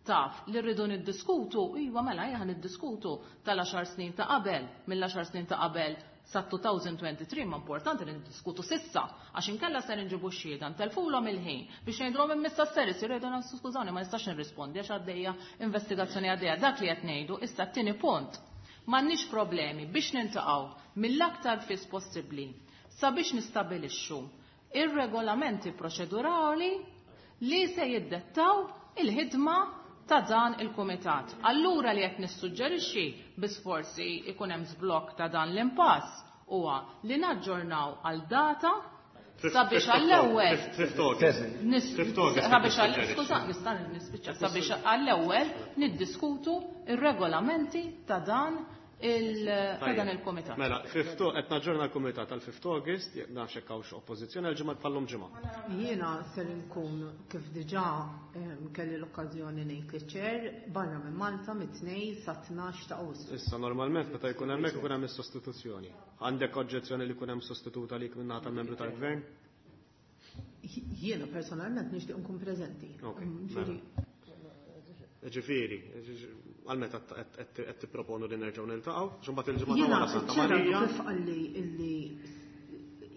taf li rridu niddiskutu, iva mela ejja niddiskutu tal-għaxar snin ta' qabel, mill-għaxar snin ta' qabel sa elfejn u tlieta u għoxrin, ma importanti li niddiskutu s'issa, għax inkella ser nġibu xhieda, ntelfulhom il-ħin biex ngħidulhom imma ser isir, jgħidu skużawni, ma nistax nirrispondi għax għaddejja investigazzjoni għaddejja. Dak li qed ngħidu issa, t-tieni punt. M'għandniex problemi biex niltaqgħu mill-aktar fis possibbli sabiex nistabilixxu ir-regolamenti proċedurali li se jiddettaw il-ħidma ta' dan il-kumitat. Allura li qed nissuġġerixxi biss forsi ikun hemm żblokk ta' dan l-impass huwa li naġġornaw għal data sabiex għall-ewwel sabiex għall skuża, nista' nispiċċa, sabiex għall-ewwel niddiskutu ir-regolamenti ta' dan il ta' dan il-kumitat. Mela, fifth qed naġġorna l-kumitat għal fifth August, nafx hekk hawnx oppożizzjoni, għal ġimgħa bħallum ġimgħa. Jiena ser nkun, kif diġà em, kelli l-okkażjoni ngħid liċ-chair, barra minn Malta mit-tnejn sa tnax ta' Awwissu. Issa normalment meta jkun hemmhekk ikun hemm is-sostituzzjoni. Għandek oġġezzjoni li jkun hemm sostituta għalik minn naħa tal-membru tal-gvern? Jiena personalment nixtieq nkun preżenti. Ok, Mm, ġifieri, Ġifieri, għal meta qed tipproponu li nerġgħu niltaqgħu, x'imbagħad il-ġimgħa ta' Jiena wara Santa ċ-chair Marija. kif qalli illi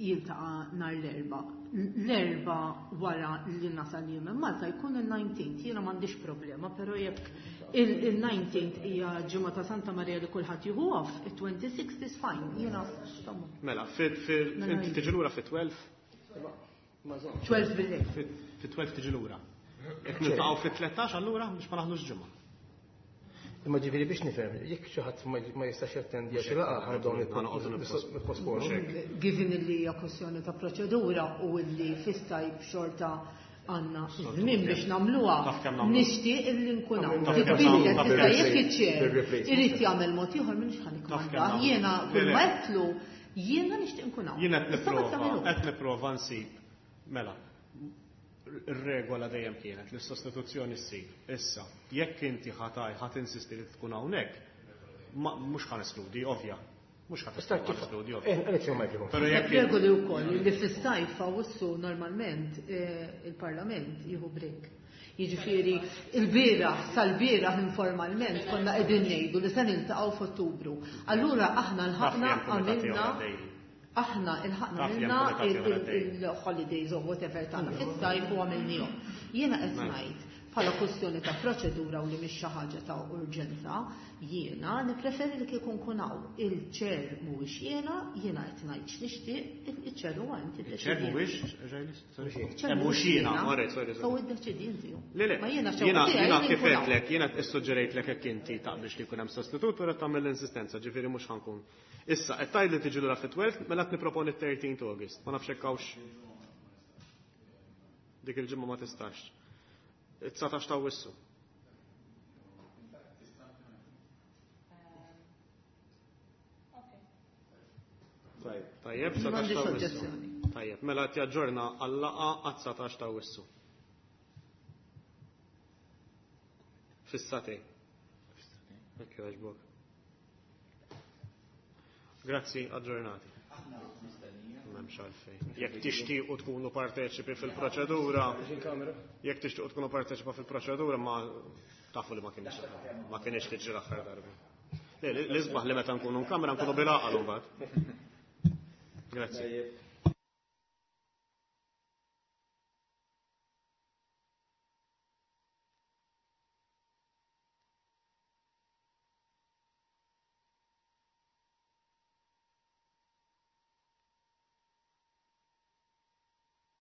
jiltaqa' nhar l-Erbgħa. L-Erbgħa wara li nasal jien minn Malta jkun il-nineteenth, jiena m'għandix problema, però jekk il-nineteenth hija ġimgħa ta' Santa Maria li kulħadd jieħu off, it-twenty-sixth is fine. Jiena Mela, inti tiġi lura fi twelve? twelve bil-lejl. Fi twelve tiġi lura. Jekk niltaqgħu fi tlettax allura biex ma naħdux ġimgħa. Imma ġifieri biex nifhem, jekk xi ħadd ma jistax jattendi għax laqgħa ħanibdew nipposponu. Given li hija kwestjoni ta' proċedura u li fis-sajf xorta għandna żmien biex nagħmluha, nixtieq illi nkun hawn. Titbidel issa jekk iċ-chair irid jagħmel mod ieħor m'iniex ħa nikkmanda. Jiena kull ma qedtlu jiena nixtieq nkun hawn. Jiena qed nipprova, qed nipprova nsib. Mela, ir-regola dejjem kienet li s-sostituzzjoni ssir. Issa, jekk inti ħataj ħadd insisti li tkun hawnhekk, mhux ħa neskludi, ovvja. Mhux ħadd neskludi, ovvja. Però jekk regoli wkoll li fis-sajf Awwissu normalment il-Parlament jieħu break. Jiġifieri il-bieraħ sal-bieraħ informalment konna qegħdin ngħidu li se niltaqgħu f'Ottubru. Allura aħna lħaqna għamilna aħna ilħaqna minna il-holidays or whatever tagħna fis-sajf u għamilnihom. Jiena qed ngħid bħala kwestjoni ta' proċedura u li mhix xi ħaġa ta' urġenza, jiena nippreferi li kieku nkun hawn. Il-chair mhuwiex jiena, jiena qed ngħid x'nixtieq, il-chair huwa inti Il-chair mhuwiex, ġejlis? Mhux jiena, alright, sorry, sorry. So iddeċidi inti. Le, le, Ma jiena jiena xewqa tiegħi jiena li kif nkun hawn. għedtlek, jiena issuġġerejtlek hekk inti taqbilx li jkun hemm sostitut, però tagħmel l-insistenza, ġifieri mhux ħankun. Issa, qed tgħid li tiġi lura fit-twelve, mela qed niproponi thirteenth August. Ma nafx hekk hawnx. Dik il-ġimgħa ma tistax. It-dsatax ta' Awwissu. Tajjeb, dsatax ta' Awwissu. Tajjeb, mela qed jaġġorna għal-laqgħa għad-dsatax ta' Awwissu. Fis-satej. Hekk jogħġbok. Grazzi, aġġornati. M'hemmx għalfejn. Jekk tixtiequ tkunu parteċipi fil-proċedura, jekk tixtiequ tkunu parteċipa fil-proċedura, ma tafu li ma kienx ma kienx tiġri l-aħħar darba. Le, l-isbaħ li meta nkunu nkamra nkunu bil-għaqal imbagħad. Grazzi.